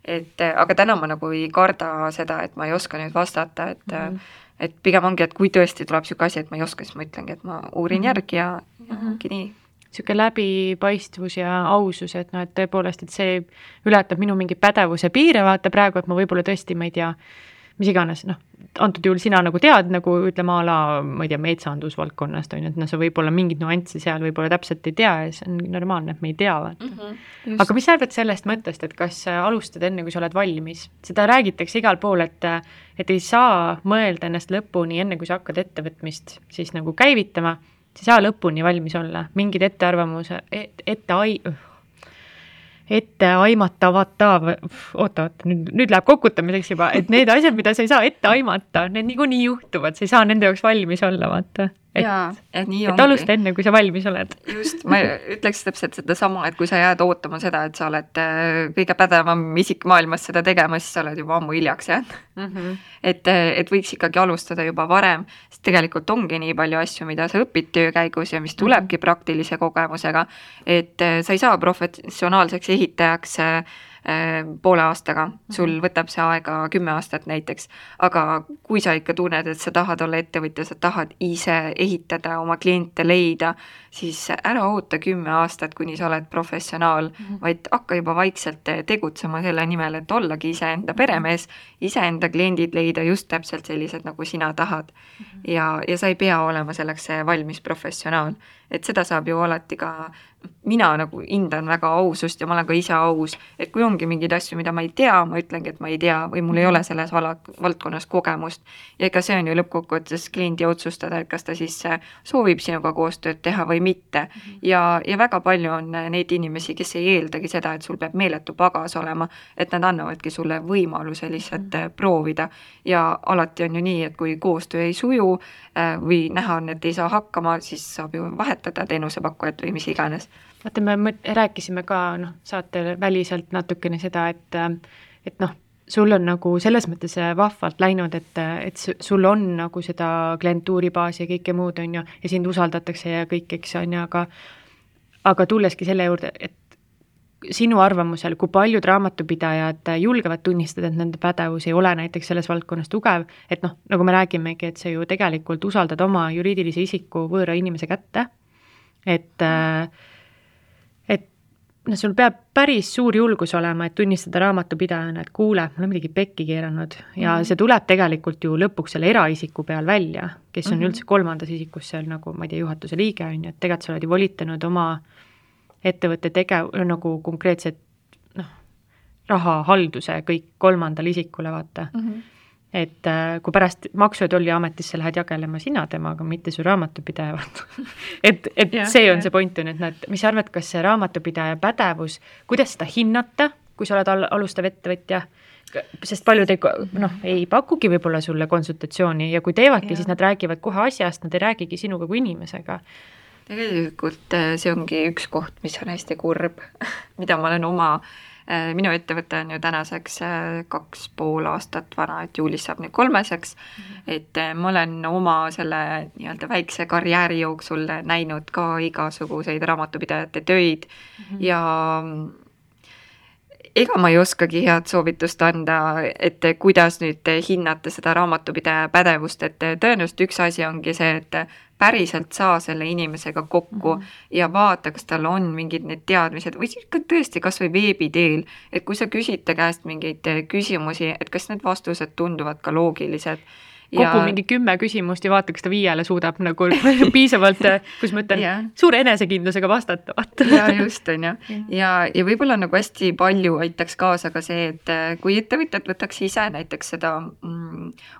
Aga täna ma nagu ei karda seda, et ma ei oska nüüd vastata, et pigem ongi, et kui tõesti tuleb siuke asi, et ma ei oska, siis ma ütlengi, et ma uurin järgi ja ongi nii. Siuke läbipaistvus ja ausus, et no, et tõepoolest, et see ületab minu mingi pädevuse piire, vaata praegu, et ma võib-olla tõesti, ma ei tea, mis iganes, noh, antud juhul sina nagu tead, nagu ütleme ala, ma ei tea, metsandusvaldkonnast on ju, et no sa võib-olla mingid nuanssi seal võib-olla täpselt ei tea ja see on normaalne, et me ei tea. Aga mis sa arvad sellest mõttest, et kas alustad enne, kui sa oled valmis? Seda räägitakse igal pool, et ei saa mõelda ennast lõpuni enne, kui sa hakkad ettevõtmist siis nagu käivitama, sa ei saa lõpuni valmis olla. Mingid ettearvamuse, etteaimatavata, nüüd läheb kokutamiseks juba, et need asjad, mida sa ei saa ette aimata, need niikuinii juhtuvad, sa ei saa nende jaoks valmis olla, vaata. Et alusta enne, kui sa valmis oled. Just, ma ütleks täpselt seda sama, et kui sa jääd ootama seda, et sa oled kõige pädevam isik maailmas seda tegema, siis sa oled juba ammu hiljaks jäänud. Et võiks ikkagi alustada juba varem, sest tegelikult ongi nii palju asju, mida sa õpid töö käigus ja mis tulebki praktilise kogemusega, et sa ei saa professionaalseks ehitajaks poole aastaga, sul võtab see aega 10 aastat näiteks, aga kui sa ikka tunned, et sa tahad olla ettevõtja, sa tahad ise ehitada, oma kliente leida, siis ära oota 10 aastat, kuni sa oled professionaal, vaid hakka juba vaikselt tegutsema selle nimel, et ollagi iseenda peremees, iseenda kliendid leida just täpselt sellised, nagu sina tahad. Ja sa ei pea olema selleks valmis professionaal. Et seda saab ju alati ka, mina nagu hindan väga ausust ja ma olen ka ise aus, et kui ongi mingid asju, mida ma ei tea, ma ütlengi, et ma ei tea või mul ei ole selles valdkonnas kogemust. Ja ega see on ju lõppkokkuvõttes kliendi otsustada, et kas ta siis soovib sinuga koostööd teha või mitte. Ja väga palju on neid inimesi, kes ei eeldagi seda, et sul peab meeletu pagas olema, et nad annavadki sulle võimaluse lihtsalt proovida. Ja alati on ju nii, et kui koostöö ei suju või näha on, et ei saa hakkama, siis saab ju vahetada teenusepakkujat või mis iganes. Vaata, me rääkisime ka saate väliselt natukene seda, et noh, sul on nagu selles mõttes vahvalt läinud, et sul on nagu seda klientuuribaasi ja kõike muud on ju, ja sind usaldatakse ja kõik, eks on ju, aga tulleski selle juurde, et sinu arvamusel, kui paljud raamatupidajad julgevad tunnistada, et nende pädevus ei ole näiteks selles valdkonnas tugev, et noh, nagu me räägimegi, et sa ju tegelikult usaldad oma juriidilise isiku võõra inimese kätte, et sul peab päris suur julgus olema, et tunnistada raamatupidajana, et kuule, mul on midagi pekki keeranud ja see tuleb tegelikult ju lõpuks selle eraisiku peal välja, kes on üldse kolmandas isikus seal nagu, ma ei tea, juhatuse liige on ju, et tegelikult sa oled ju volitanud oma ettevõtte nagu konkreetset rahahalduse kõik kolmandal isikule, vaata. Et kui pärast Maksu- ja Tolliametisse lähed jagelema sina temaga, mitte su raamatupidaja, et see on see point on, et mis sa arvad, kas see raamatupidaja pädevus, kuidas seda hinnata, kui sa oled alustav ettevõtja, sest paljud ei pakugi võib-olla sulle konsultatsiooni ja kui teevadki, siis nad räägivad kohe asjast, nad ei räägigi sinuga kui inimesega. Tegelikult see ongi üks koht, mis on hästi kurb, mida ma olen minu ettevõte on ju tänaseks 2,5 aastat vana, et juulis saab nüüd 3, et ma olen oma selle nii-öelda väikse karjääri jooksul näinud ka igasuguseid raamatupidajate töid ja ega ma ei oskagi head soovitust anda, et kuidas nüüd hinnata seda raamatupidaja pädevust, et tõenäoliselt üks asi ongi see, et päriselt saa selle inimesega kokku ja vaata, kas tal on mingid need teadmised või siis ka tõesti kas või veebi teel, et kui sa küsid ta käest mingeid küsimusi, et kas need vastused tunduvad ka loogilised. Kogu mingi 10 küsimust ja vaata, kas ta 5 suudab nagu piisavalt, kus ma ütlen, suure enesekindlusega vastata. Ja just on ju. Ja võib-olla nagu hästi palju aitaks kaasa ka see, et kui ettevõtjad võtaks ise näiteks seda,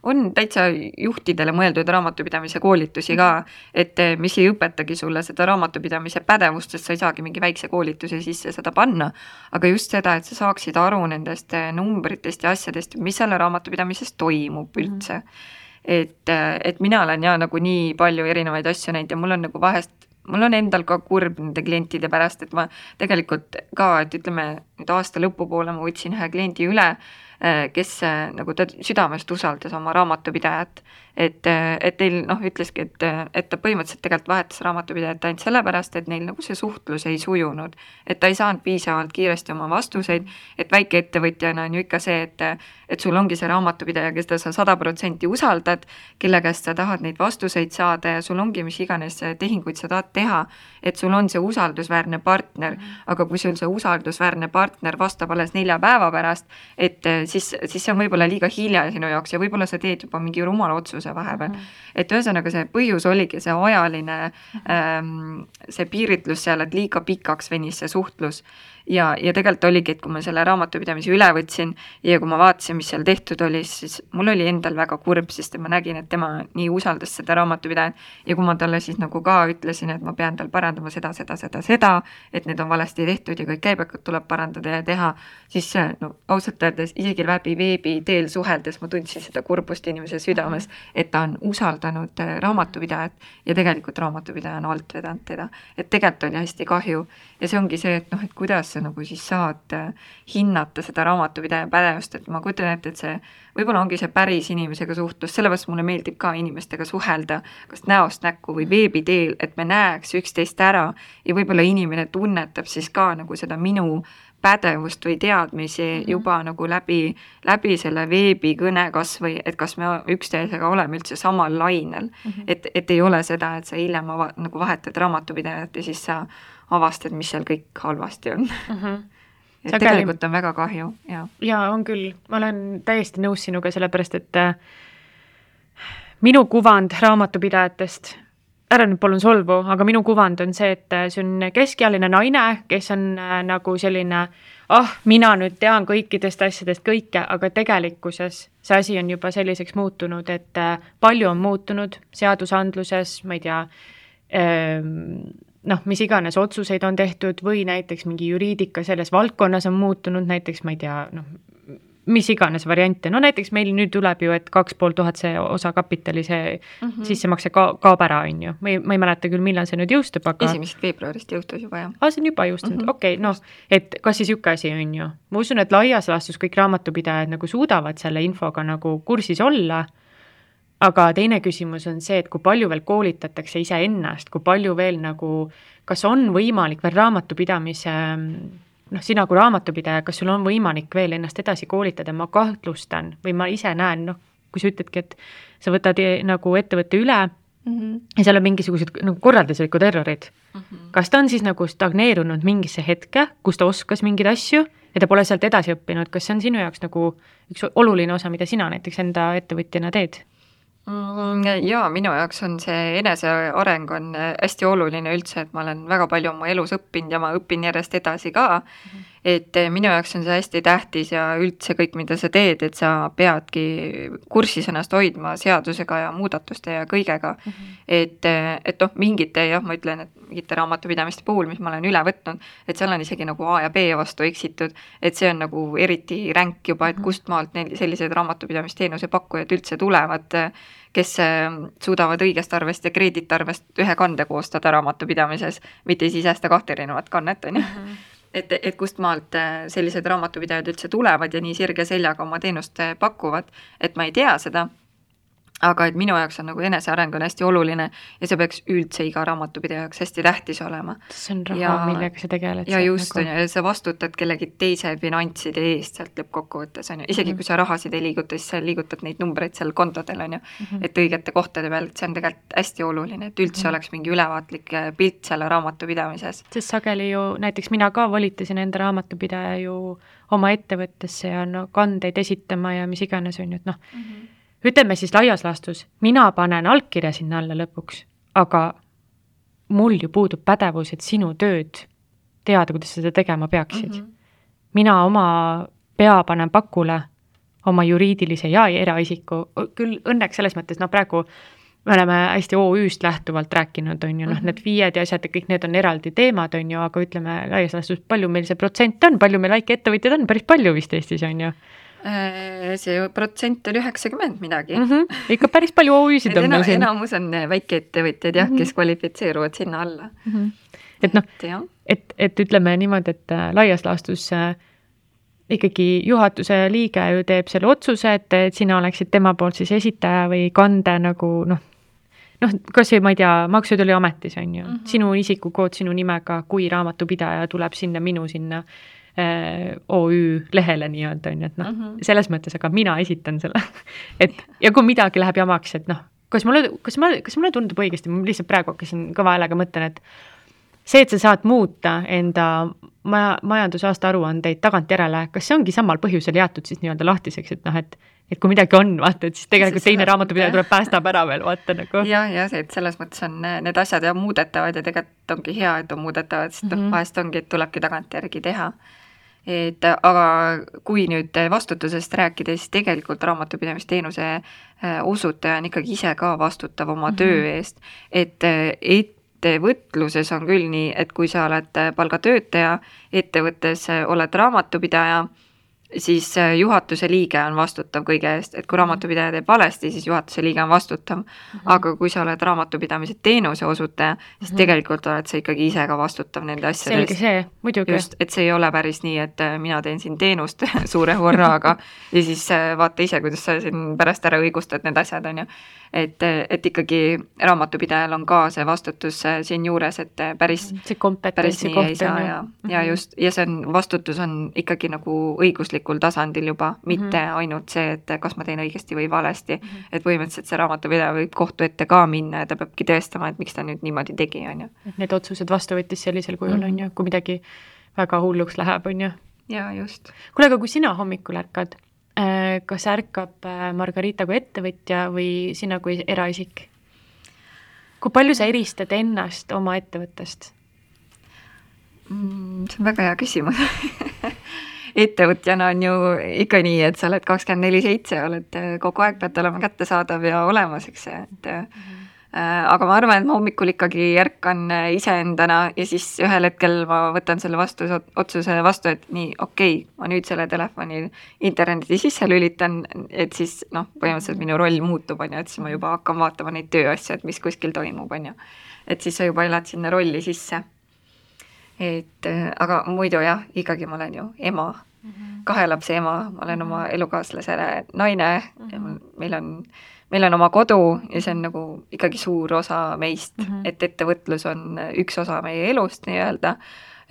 on täitsa juhtidele mõeldud raamatupidamise koolitusi ka, et mis ei õpetagi sulle seda raamatupidamise pädevust, sest sa ei saagi mingi väikse koolituse sisse seda panna, aga just seda, et sa saaksid aru nendest numbritest ja asjadest, mis selle raamatupidamises toimub üldse. Et mina olen nagu nii palju erinevaid asju näinud ja mul on endal ka kurb nende klientide pärast, et ma tegelikult ka, et ütleme nüüd aasta lõpupoole ma võtsin ühe kliendi üle, kes nagu ta südamest usaldas oma raamatupidajat, et teil ütleski, et ta põhimõtteliselt tegelikult vahetas raamatupidajat ainult sellepärast, et neil nagu see suhtlus ei sujunud, et ta ei saanud piisavalt kiiresti oma vastuseid, et väike ettevõtjana on ju ikka see, et sul ongi see raamatupidaja, kes ta sa 100% usaldad, kelle käest sa tahad neid vastuseid saada ja sul ongi mis iganes tehinguid sa tahad teha, et sul on see usaldusväärne partner, aga kui sul see usaldusväärne partner vastab alles 4 päeva pärast, et siis see on võib-olla liiga hilja sinu jaoks ja võib-olla sa teed juba mingi rumala otsuse vahepeal. Et ühesõnaga see põhjus oligi see ajaline see piiritlus seal, et liiga pikaks venis see suhtlus. Ja tegelikult oligi, et kui ma selle raamatupidamise üle võtsin ja kui ma vaatasin, mis seal tehtud oli, siis mul oli endal väga kurb, sest ma nägin, et tema nii usaldas seda raamatupidajat ja kui ma talle siis nagu ka ütlesin, et ma pean tal parandama seda, et need on valesti tehtud ja kõik käibekad tuleb parandada ja teha, siis ausalt öeldes isegi läbi veebi teel suheldes ma tundsin seda kurbust inimese südames, et ta on usaldanud raamatupidajat ja tegelikult raamatupidaja on alt vedanud teda. Et tegelikult oli hästi kahju ja see ongi see, et kuidas sa nagu siis saad hinnata seda raamatupidaja pädevust, et ma kujutan ette, et see võib-olla ongi see päris inimesega suhtlus, sellepärast mulle meeldib ka inimestega suhelda, kas näost näkku või veebi teel, et me näeks üksteist ära ja võib-olla inimene tunnetab siis ka nagu seda minu pädevust või teadmisi juba nagu läbi selle veebikõne kas või, et kas me üksteisega oleme üldse samal lainel, et ei ole seda, et sa hiljem nagu vahetad raamatupidajat ja siis sa avastad, mis seal kõik halvasti on. Et tegelikult on väga kahju. Ja on küll, ma olen täiesti nõus sinuga sellepärast, et minu kuvand raamatupidajatest, ära nüüd palun solvu, aga minu kuvand on see, et see on keskealine naine, kes on nagu selline, mina nüüd tean kõikidest asjadest kõike, aga tegelikkuses see asi on juba selliseks muutunud, et palju on muutunud seadusandluses, ma ei tea, mis iganes otsuseid on tehtud või näiteks mingi juriidika selles valdkonnas on muutunud, näiteks ma ei tea, mis iganes variante, näiteks meil nüüd tuleb ju, et 2500 see osakapitali see sissemakse kaob ära, on ju. Ma ei mäleta küll, millal see nüüd jõustub, aga 1. veebruarist jõustus juba, jah. See on juba jõustunud, okei, et kas siis üks asi on ju. Ma usun, et laias laastus kõik raamatupidajad nagu suudavad selle infoga nagu kursis olla, aga teine küsimus on see, et kui palju veel koolitatakse ise ennast, kui palju veel nagu, kas on võimalik veel raamatupidamise, sina kui raamatupidaja, kas sul on võimalik veel ennast edasi koolitada, ma kahtlustan või ma ise näen, kui sa ütledki, et sa võtad nagu ettevõtte üle ja seal on mingisugused nagu korralduslikud errorid. Kas ta on siis nagu stagneerunud mingisse hetke, kus ta oskas mingeid asju ja ta pole sealt edasi õppinud, kas see on sinu jaoks nagu üks oluline osa, mida sina näiteks enda ettevõtjana teed? Jaa, minu jaoks on see eneseareng on hästi oluline üldse, et ma olen väga palju oma elus õppinud ja ma õpin järjest edasi ka, et minu jaoks on see hästi tähtis ja üldse kõik, mida sa teed, et sa peadki kursis ennast hoidma seadusega ja muudatuste ja kõigega, et mingite, ma ütlen, et mingite raamatupidamiste puhul, mis ma olen üle võtnud, et seal on isegi nagu A ja B vastu eksitud, et see on nagu eriti ränk juba, et kust maalt neil sellised raamatupidamisteenuse pakkujad üldse tulevad, kes suudavad õigest arvest ja kreeditarvest ühe kande koostada raamatupidamises, mitte siis hästi 2 erinevat kannet, on ju. Et kust maalt sellised raamatupidajad üldse tulevad ja nii sirge seljaga oma teenust pakuvad, et ma ei tea seda. aga et minu jaoks on nagu eneseareng on hästi oluline ja see peaks üldse iga raamatupidaja jaoks hästi tähtis olema. See on raha, millega sa tegeled. Ja just on ja sa vastutad kellegi teise finantside eest sealt lõppkokkuvõttes on ju. Isegi kui sa rahasid ei liiguta, siis sa liigutad neid numbreid seal kontodel on ju, et õigete kohtade peal, et see on tegelikult hästi oluline, et üldse oleks mingi ülevaatlik pilt selle raamatupidamises. Sest sageli ju, näiteks mina ka volitasin enda raamatupidaja ju oma ettevõttesse ja no kandeid esitama ja mis iganes on ju, et noh, ütleme siis laias laastus, mina panen allkirja sinna alla lõpuks, aga mul ju puudub pädevus, et sinu tööd teada, kuidas seda tegema peaksid. Mina oma pea panen pakule oma juriidilise ja eraisiku, küll õnneks selles mõttes, no praegu me oleme hästi OÜ-st lähtuvalt rääkinud, on ju, noh, need FIE-d ja asjad ja kõik need on eraldi teemad, on ju, aga ütleme laias laastus, palju meil see protsent on, palju meil väike ettevõtjad on, päris palju vist Eestis on ju. See protsent oli 90 midagi. Ikka päris palju OÜ-sid on meil siin. Enamus on väikeettevõtjad jah, kes kvalifitseeruvad sinna alla. Et noh, et ütleme niimoodi, et laias laastus ikkagi juhatuse liige ju teeb selle otsuse, et sina oleksid tema poolt siis esitaja või kande nagu noh, kas ei, ma ei tea, Maksu- ja Tolliametis on ju, sinu isikukood sinu nimega, kui raamatupidaja tuleb sinna minu sinna OÜ lehele nii-öelda on ju, et noh, selles mõttes, aga mina esitan selle, et ja kui midagi läheb jamaks, et noh, kas mulle tundub õigesti, ma lihtsalt praegu hakkasin kõva häälega mõtlen, et see, et sa saad muuta enda majandusaasta aruandeid tagantjärele, kas see ongi samal põhjusel jäetud siis nii-öelda lahtiseks, et noh, et kui midagi on, vaata, et siis tegelikult teine raamatupidaja tuleb päästab ära veel, vaata nagu. Ja see, et selles mõttes on need asjad ja muudetavad ja tegelikult ongi hea, et on muudetavad, sest vahest ongi, et tulebki tagantjärgi teha. Et aga kui nüüd vastutusest rääkida, siis tegelikult raamatupidamisteenuse osutaja on ikkagi ise ka vastutav oma töö eest, et ettevõtluses on küll nii, et kui sa oled palgatöötaja, ettevõttes oled raamatupidaja, siis juhatuse liige on vastutav kõige eest, et kui raamatupidaja teeb valesti, siis juhatuse liige on vastutav. Aga kui sa oled raamatupidamise teenuse osutaja, siis tegelikult oled sa ikkagi ise ka vastutav nende asjadest. Selge see, muidugi. Just, et see ei ole päris nii, et mina teen siin teenust suure horraga ja siis vaata ise, kuidas sa siin pärast ära õigustad need asjad, on ju. Et ikkagi raamatupidajal on ka see vastutus siin juures, et päris kompetentsi koht ei saa ja just, ja see on, vastutus on ikkagi nagu õiguslikul tasandil juba, mitte ainult see, et kas ma teen õigesti või valesti, et põhimõtteliselt see raamatupidaja võib kohtu ette ka minna ja ta peabki tõestama, et miks ta nüüd niimoodi tegi, on ju. Need otsused vastu võttis sellisel kujul, on ju, kui midagi väga hulluks läheb, on ju. Ja just. Kuule, aga kui sina hommikul ärkad, kas ärkab Margarita kui ettevõtja või sina kui eraisik? Kui palju sa eristad ennast oma ettevõttest? See on väga hea küsimus. Ettevõtjana on ju ikka nii, et sa oled 24/7, oled kogu aeg pead olema kättesaadav ja olemas, eks see, et aga ma arvan, et ma hommikul ikkagi ärkan iseendana ja siis ühel hetkel ma võtan selle otsuse vastu, et nii, okei, ma nüüd selle telefoni interneti sisse lülitan, et siis põhimõtteliselt minu roll muutub, on ju, et siis ma juba hakkan vaatama neid tööasju, et mis kuskil toimub, on ju. Et siis sa juba elad sinna rolli sisse. Et aga muidu jah, ikkagi ma olen ju ema, 2 lapse ema, ma olen oma elukaaslasele naine, meil on oma kodu ja see on nagu ikkagi suur osa meist, et ettevõtlus on üks osa meie elust nii-öelda,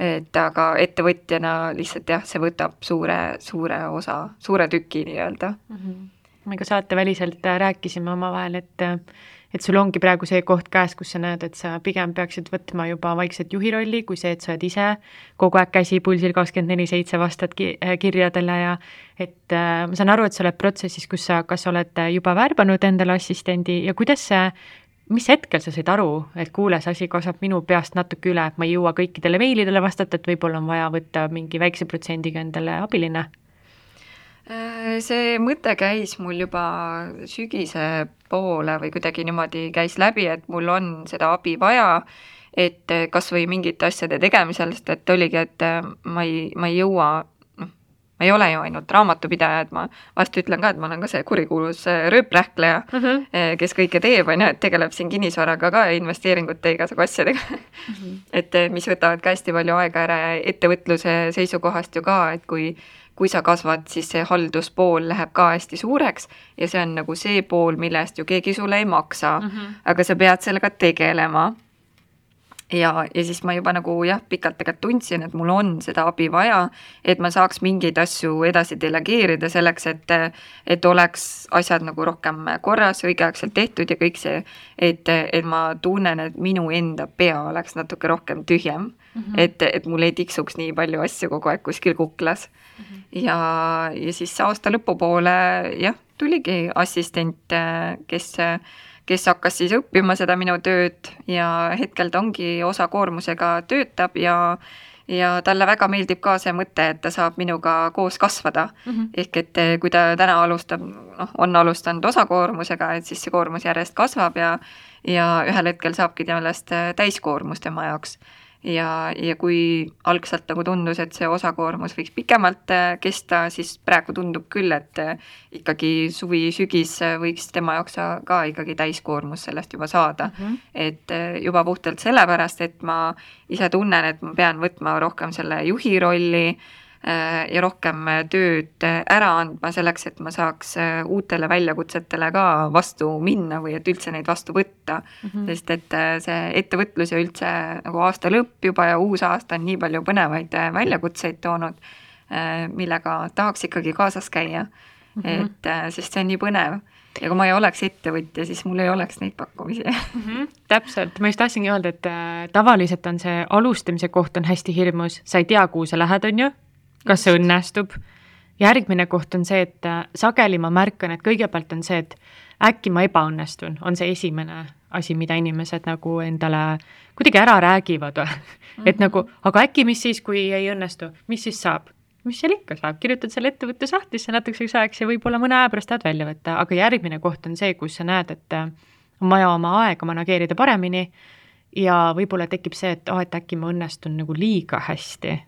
et aga ettevõtjana lihtsalt jah, see võtab suure osa, suure tüki nii-öelda. Me ka saateväliselt rääkisime omavahel, et sul ongi praegu see koht käes, kus sa näed, et sa pigem peaksid võtma juba vaikselt juhi rolli, kui see, et sa oled ise kogu aeg käsi pulsil 24/7 vastad kirjadele ja et ma saan aru, et sa oled protsessis, kus sa kas oled juba värbanud endale assistendi ja kuidas see, mis hetkel sa said aru, et kuule, see asi kasvab minu peast natuke üle, et ma ei jõua kõikidele meilidele vastata, et võib-olla on vaja võtta mingi väikse protsendiga endale abiline? See mõte käis mul juba sügise poole või kuidagi niimoodi käis läbi, et mul on seda abi vaja, et kas või mingite asjade tegemisel, sest et oligi, et ma ei jõua ma ei ole ju ainult raamatupidaja, et ma vast ütlen ka, et ma olen ka see kurikuulus rööprähkleja, kes kõike teeb, on ju, et tegeleb siin kinnisvaraga ka investeeringute igasugu asjadega et mis võtavad ka hästi palju aega ära ja ettevõtluse seisukohast ju ka, et kui sa kasvad, siis see halduspool läheb ka hästi suureks ja see on nagu see pool, mille eest ju keegi sulle ei maksa, aga sa pead sellega tegelema. Ja siis ma juba nagu pikalt tegelikult tundsin, et mul on seda abi vaja, et ma saaks mingeid asju edasi delegeerida selleks, et oleks asjad nagu rohkem korras, õigeaegselt tehtud ja kõik see, et ma tunnen, et minu enda pea oleks natuke rohkem tühjem, et mul ei tiksuks nii palju asju kogu aeg kuskil kuklas. Ja siis aasta lõpupoole tuligi assistent, kes hakkas siis õppima seda minu tööd ja hetkel ta ongi osakoormusega töötab ja talle väga meeldib ka see mõte, et ta saab minuga koos kasvada. Ehk et kui ta täna on alustanud osakoormusega, et siis see koormus järjest kasvab ja ühel hetkel saabki temast täiskoormus tema jaoks. Ja kui algselt nagu tundus, et see osakoormus võiks pikemalt kesta, siis praegu tundub küll, et ikkagi suvi-sügis võiks tema jaoks ka ikkagi täiskoormus sellest juba saada. Et juba puhtalt sellepärast, et ma ise tunnen, et ma pean võtma rohkem selle juhi rolli ja rohkem tööd ära andma selleks, et ma saaks uutele väljakutsetele ka vastu minna või et üldse neid vastu võtta. Sest et see ettevõtlus ja üldse nagu aasta lõpp juba ja uus aasta on nii palju põnevaid väljakutseid toonud, millega tahaks ikkagi kaasas käia. Et sest see on nii põnev. Ja kui ma ei oleks ettevõtja, siis mul ei oleks neid pakkumisi. Täpselt, ma just tahtsingi öelda, et tavaliselt on see alustamise koht on hästi hirmus, sa ei tea, kuhu sa lähed, on ju? Kas see õnnestub? Järgmine koht on see, et sageli ma märkan, et kõigepealt on see, et äkki ma ebaõnnestun, on see esimene asi, mida inimesed nagu endale kuidagi ära räägivad. Et nagu, aga äkki mis siis, kui ei õnnestu, mis siis saab? Mis seal ikka saab? Kirjutad selle ettevõtte sahtlisse natukeseks ajaks ja võib-olla mõne aja pärast tahad välja võtta, aga järgmine koht on see, kus sa näed, et on vaja oma aega manageerida paremini ja võib-olla tekib see, et äkki ma õnnestun nagu liiga hästi.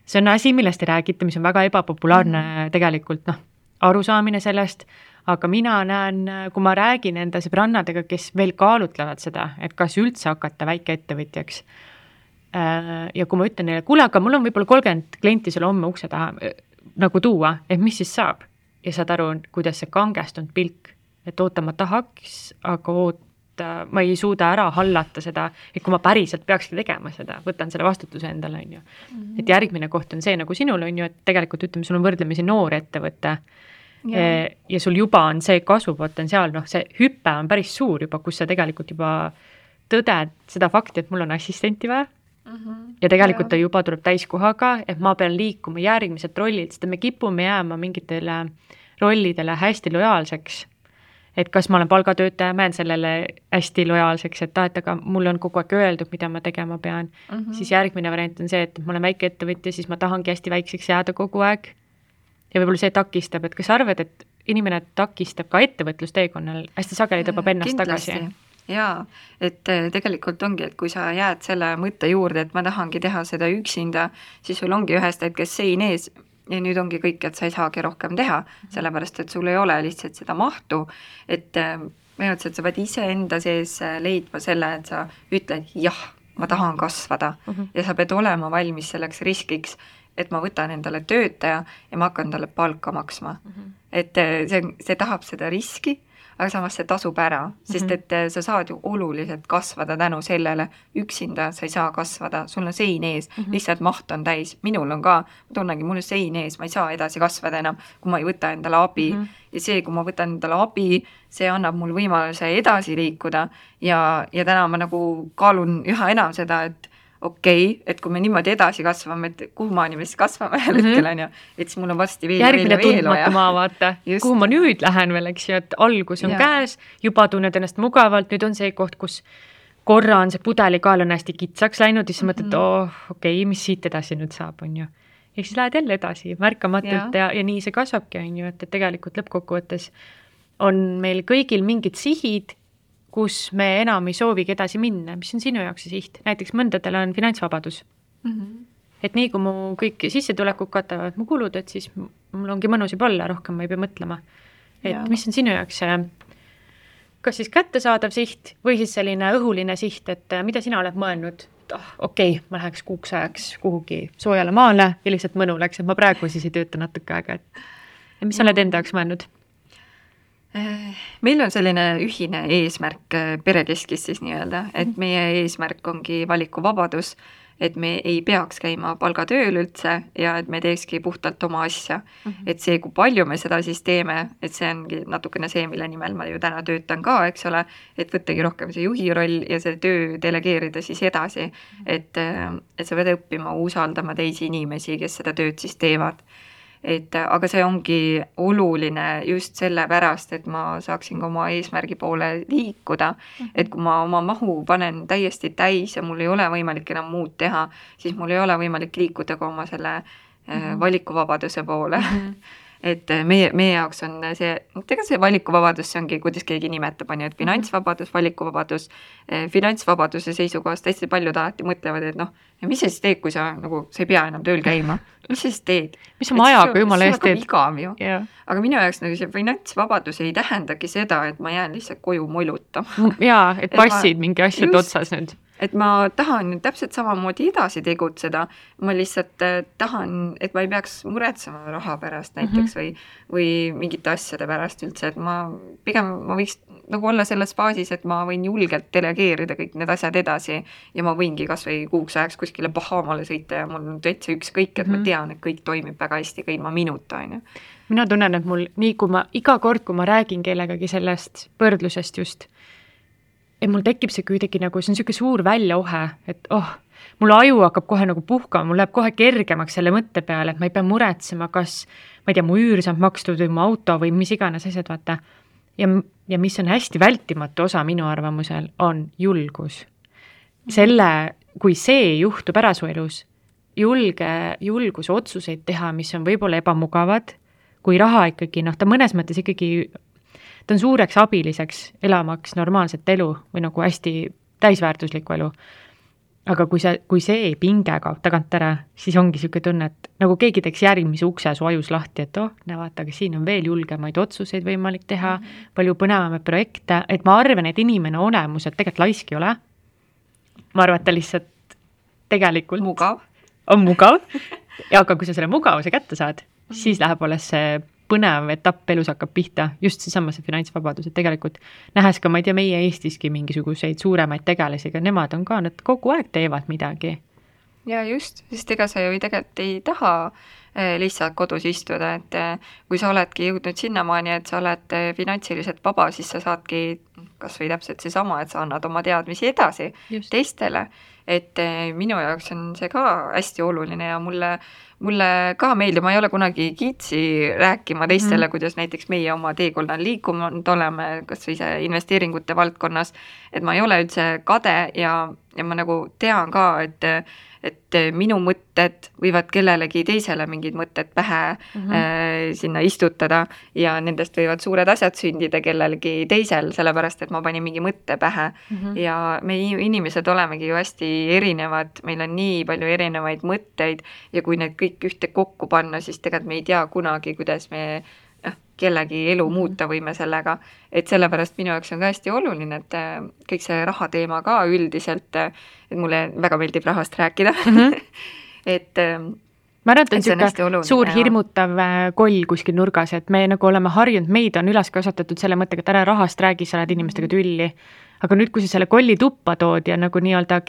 See on asi, millest ei räägita, mis on väga ebapopulaarne tegelikult arusaamine sellest, aga mina näen, kui ma räägin enda sõbrannadega, kes veel kaalutlevad seda, et kas üldse hakata väikeettevõtjaks. Ja kui ma ütlen neile, kuule, aga mul on võib-olla 30 klienti sulle homme ukse taha nagu tuua, et mis siis saab? Ja saad aru, kuidas see kangestunud pilk, et oota, ma tahaks, aga ma ei suuda ära hallata seda, et kui ma päriselt peakski tegema seda, võtan selle vastutuse endale, on ju. Et järgmine koht on see nagu sinul, on ju, et tegelikult ütleme, sul on võrdlemisi noor ettevõte ja sul juba on see kasvupotentsiaal, see hüpe on päris suur juba, kus sa tegelikult juba tõded seda fakti, et mul on assistenti vaja ja tegelikult ta juba tuleb täiskohaga, et ma pean liikuma järgmised rollid, sest me kipume jääma mingitele rollidele hästi lojaalseks. Et kas ma olen palgatöötaja, ma jään sellele hästi lojaalseks, et aga mul on kogu aeg öeldud, mida ma tegema pean. Siis järgmine variant on see, et ma olen väike ettevõtja, siis ma tahangi hästi väikseks jääda kogu aeg. Ja võib-olla see takistab, et kas arvad, et inimene takistab ka ettevõtlusteekonnal, hästi sageli tõbab ennast tagasi? Jaa, et tegelikult ongi, et kui sa jääd selle mõtte juurde, et ma tahangi teha seda üksinda, siis sul ongi ühest hetkest sein ees ja nüüd ongi kõik, et sa ei saagi rohkem teha, sellepärast, et sul ei ole lihtsalt seda mahtu, et et sa pead ise enda sees leidma selle, et sa ütled, jah, ma tahan kasvada ja sa pead olema valmis selleks riskiks, et ma võtan endale töötaja ja ma hakkan talle palka maksma. Et see tahab seda riski, aga samas see tasub ära, sest et sa saad ju oluliselt kasvada tänu sellele, üksinda sa ei saa kasvada, sul on sein ees, lihtsalt maht on täis, minul on ka, ma tunnengi, mul on sein ees, ma ei saa edasi kasvada enam, kui ma ei võta endale abi ja see, kui ma võtan endale abi, see annab mul võimaluse edasi liikuda ja täna ma nagu kaalun üha enam seda, et et kui me niimoodi edasi kasvame, et kuhu maani me siis kasvame ühel hetkel on ju, et siis mul on vasti veel järgmine tundmatu maa, vaata, kuhu ma nüüd lähen veel, eks ju, et algus on käes, juba tunned ennast mugavalt, nüüd on see koht, kus korra on see pudelikaal on hästi kitsaks läinud ja siis mõtled, mis siit edasi nüüd saab, on ju. Ja siis lähed jälle edasi märkamatult ja nii see kasvabki, on ju, et tegelikult lõppkokkuvõttes on meil kõigil mingid sihid, kus me enam ei soovigi edasi minna, mis on sinu jaoks see siht? Näiteks mõndadel on finantsvabadus. et nii kui mu kõik sissetulekud katavad mu kulud, et siis mul ongi mõnus juba olla, rohkem ma ei pea mõtlema. Et ja. Mis on sinu jaoks see, kas siis kättesaadav siht või siis selline õhuline siht, et mida sina oled mõelnud? Okei, ma läheks kuuks ajaks kuhugi soojale maale ja lihtsalt mõnu läks, et ma praegu siis ei tööta natuke aega. Ja mis sa oled enda jaoks mõelnud? Meil on selline ühine eesmärk perekeskis siis nii-öelda, et meie eesmärk ongi valikuvabadus, et me ei peaks käima palgatööl üldse ja et me teekski puhtalt oma asja. Et see, kui palju me seda siis teeme, et see ongi natukene see, mille nimel ma ju täna töötan ka, eks ole, et võttagi rohkem see juhi roll ja see töö delegeerida siis edasi, et sa pead õppima usaldama teisi inimesi, kes seda tööd siis teevad. Aga see ongi oluline just sellepärast, et ma saaksin ka oma eesmärgi poole liikuda, et kui ma oma mahu panen täiesti täis ja mul ei ole võimalik enam muud teha, siis mul ei ole võimalik liikuda ka oma selle valikuvabaduse poole. Et meie jaoks on see valikuvabadus, see ongi, kuidas keegi nimetab, on ju, et finantsvabadus, valikuvabadus, finantsvabaduse seisukohast hästi paljud alati mõtlevad, et ja mis sa siis teed, kui sa ei pea enam tööl käima? Mis sa siis teed? Mis oma ajaga jumala eest teed? Yeah. Aga minu jaoks see finantsvabadus ei tähendagi seda, et ma jään lihtsalt koju molutama. Jaa, et passid mingi asjad otsas nüüd. Et ma tahan täpselt samamoodi edasi tegutseda, ma lihtsalt tahan, et ma ei peaks muretsema raha pärast näiteks või mingite asjade pärast üldse, et ma võiks olla selles faasis, et ma võin julgelt delegeerida kõik need asjad edasi ja ma võingi kas või kuuks ajaks kuskile Bahamale sõita ja mul on täitsa ükskõik, et ma tean, et kõik toimib väga hästi ka ilma minuta, on ju. Mina tunnen, et mul nii kui iga kord, kui ma räägin kellegagi sellest võrdlusest just, et mul tekib see kuidagi see on selline suur väljaohe, et mul aju hakkab kohe puhkama, mul läheb kohe kergemaks selle mõtte peale, et ma ei pea muretsema, kas, ma ei tea, mu üür saab makstud või mu auto või mis iganes asjad, vaata. Ja mis on hästi vältimatu osa minu arvamusel, on julgus. Kui see juhtub ära su elus, julgus otsuseid teha, mis on võib-olla ebamugavad, kui raha ikkagi, ta mõnes mõttes ikkagi ta on suureks abiliseks elamaks normaalset elu või hästi täisväärtuslikku elu. Aga kui see pinge kaob tagant ära, siis ongi selline tunne, et keegi teeks järgmise ukse su ajus lahti, et vaata, aga siin on veel julgemaid otsuseid võimalik teha, palju põnevamaid projekte, et ma arvan, et inimene olemuselt tegelikult laisk ei ole. Ma arvan, et ta lihtsalt tegelikult on mugav. Ja aga kui sa selle mugavuse kätte saad, siis läheb alles see põnev etapp elus hakkab pihta, just seesama see finantsvabadus, et tegelikult nähes ka, ma ei tea, meie Eestiski mingisuguseid suuremaid tegelasi, aga nemad on ka, nad kogu aeg teevad midagi. Ja just, sest ega sa ju tegelikult ei taha lihtsalt kodus istuda, et kui sa oledki jõudnud sinnamaani, et sa oled finantsiliselt vaba, siis sa saadki kas või täpselt seesama, et sa annad oma teadmisi edasi teistele, et minu jaoks on see ka hästi oluline ja mulle ka meeldib, ma ei ole kunagi kiitsi rääkima teistele, kuidas näiteks meie oma teekonnal liikunud oleme, kas või see investeeringute valdkonnas, et ma ei ole üldse kade ja ma tean ka, et minu mõtted võivad kellelegi teisele mingid mõtted pähe sinna istutada ja nendest võivad suured asjad sündida kellelegi teisel, sellepärast, et ma panin mingi mõtte pähe ja me inimesed olemegi ju hästi erinevad, meil on nii palju erinevaid mõtteid ja kui need kõik ühte kokku panna, siis tegelikult me ei tea kunagi, kuidas me kellegi elu muuta võime sellega, et sellepärast minu jaoks on ka hästi oluline, et kõik see rahateema ka üldiselt, et mulle väga meeldib rahast rääkida, et ma arvan, et on selline suur hirmutav koll kuskil nurgas, et me oleme harjunud, meid on üles kasvatatud selle mõttega, et ära rahast räägi, sa oled inimestega tülli, aga nüüd, kui sa selle kolli tuppa tood ja nii-öelda,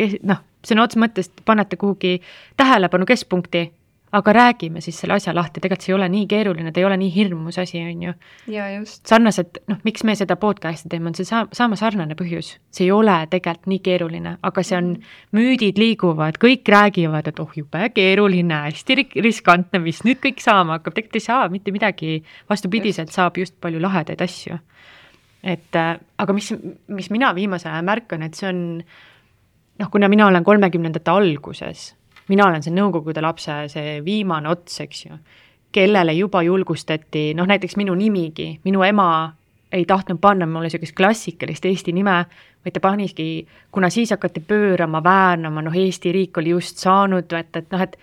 sõna otsa mõttes panete kuhugi tähelepanu keskpunkti, aga räägime siis selle asja lahti, tegelikult see ei ole nii keeruline, ta ei ole nii hirmus asi, on ju. Ja just. Sarnaselt, miks me seda podcasti teeme, on see saama sarnane põhjus. See ei ole tegelikult nii keeruline, aga see on, müüdid liiguvad, kõik räägivad, et jube keeruline, hästi riskantne, mis nüüd kõik saama hakkab, tegelikult ei saa mitte midagi, vastupidiselt saab just palju lahedaid asju. Aga mis mina viimase aja märkan, et see on, kuna mina olen 30ndate alguses, mina olen see nõukogude lapse, see viimane ots, eks ju, kellele juba julgustati, näiteks minu nimigi, minu ema ei tahtnud panna mulle sellist klassikalist Eesti nime, vaid ta paniski, kuna siis hakati pöörama, väärnama, Eesti riik oli just saanud, et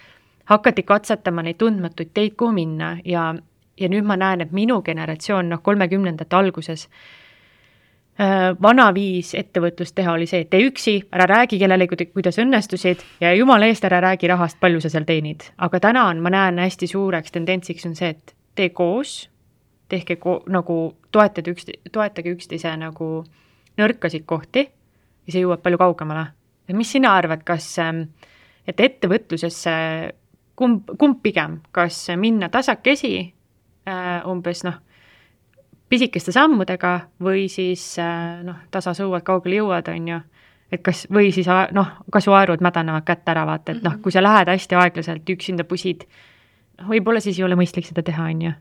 hakati katsetama neid tundmatuid teid, kuhu minna ja nüüd ma näen, et minu generatsioon 30ndate alguses vana viis ettevõtlust teha oli see, et tee üksi, ära räägi kellelegi, kuidas õnnestusid ja jumala eest ära räägi rahast, palju sa seal teenid. Aga täna ma näen hästi suureks tendentsiks on see, et tee koos, tehke nagu toetage üksteise nagu nõrkasid kohti ja see jõuab palju kaugemale. Ja mis sina arvad, kas et ettevõtlusesse kumb pigem, kas minna tasakesi umbes pisikeste sammudega või siis tasasõuad kaugele jõuad, on ju, et kas, või siis kasuaerud mädanevad kätte ära vaata, et kui sa lähed hästi aeglaselt üksinda pusid, võib-olla siis ei ole mõistlik seda teha, on ju.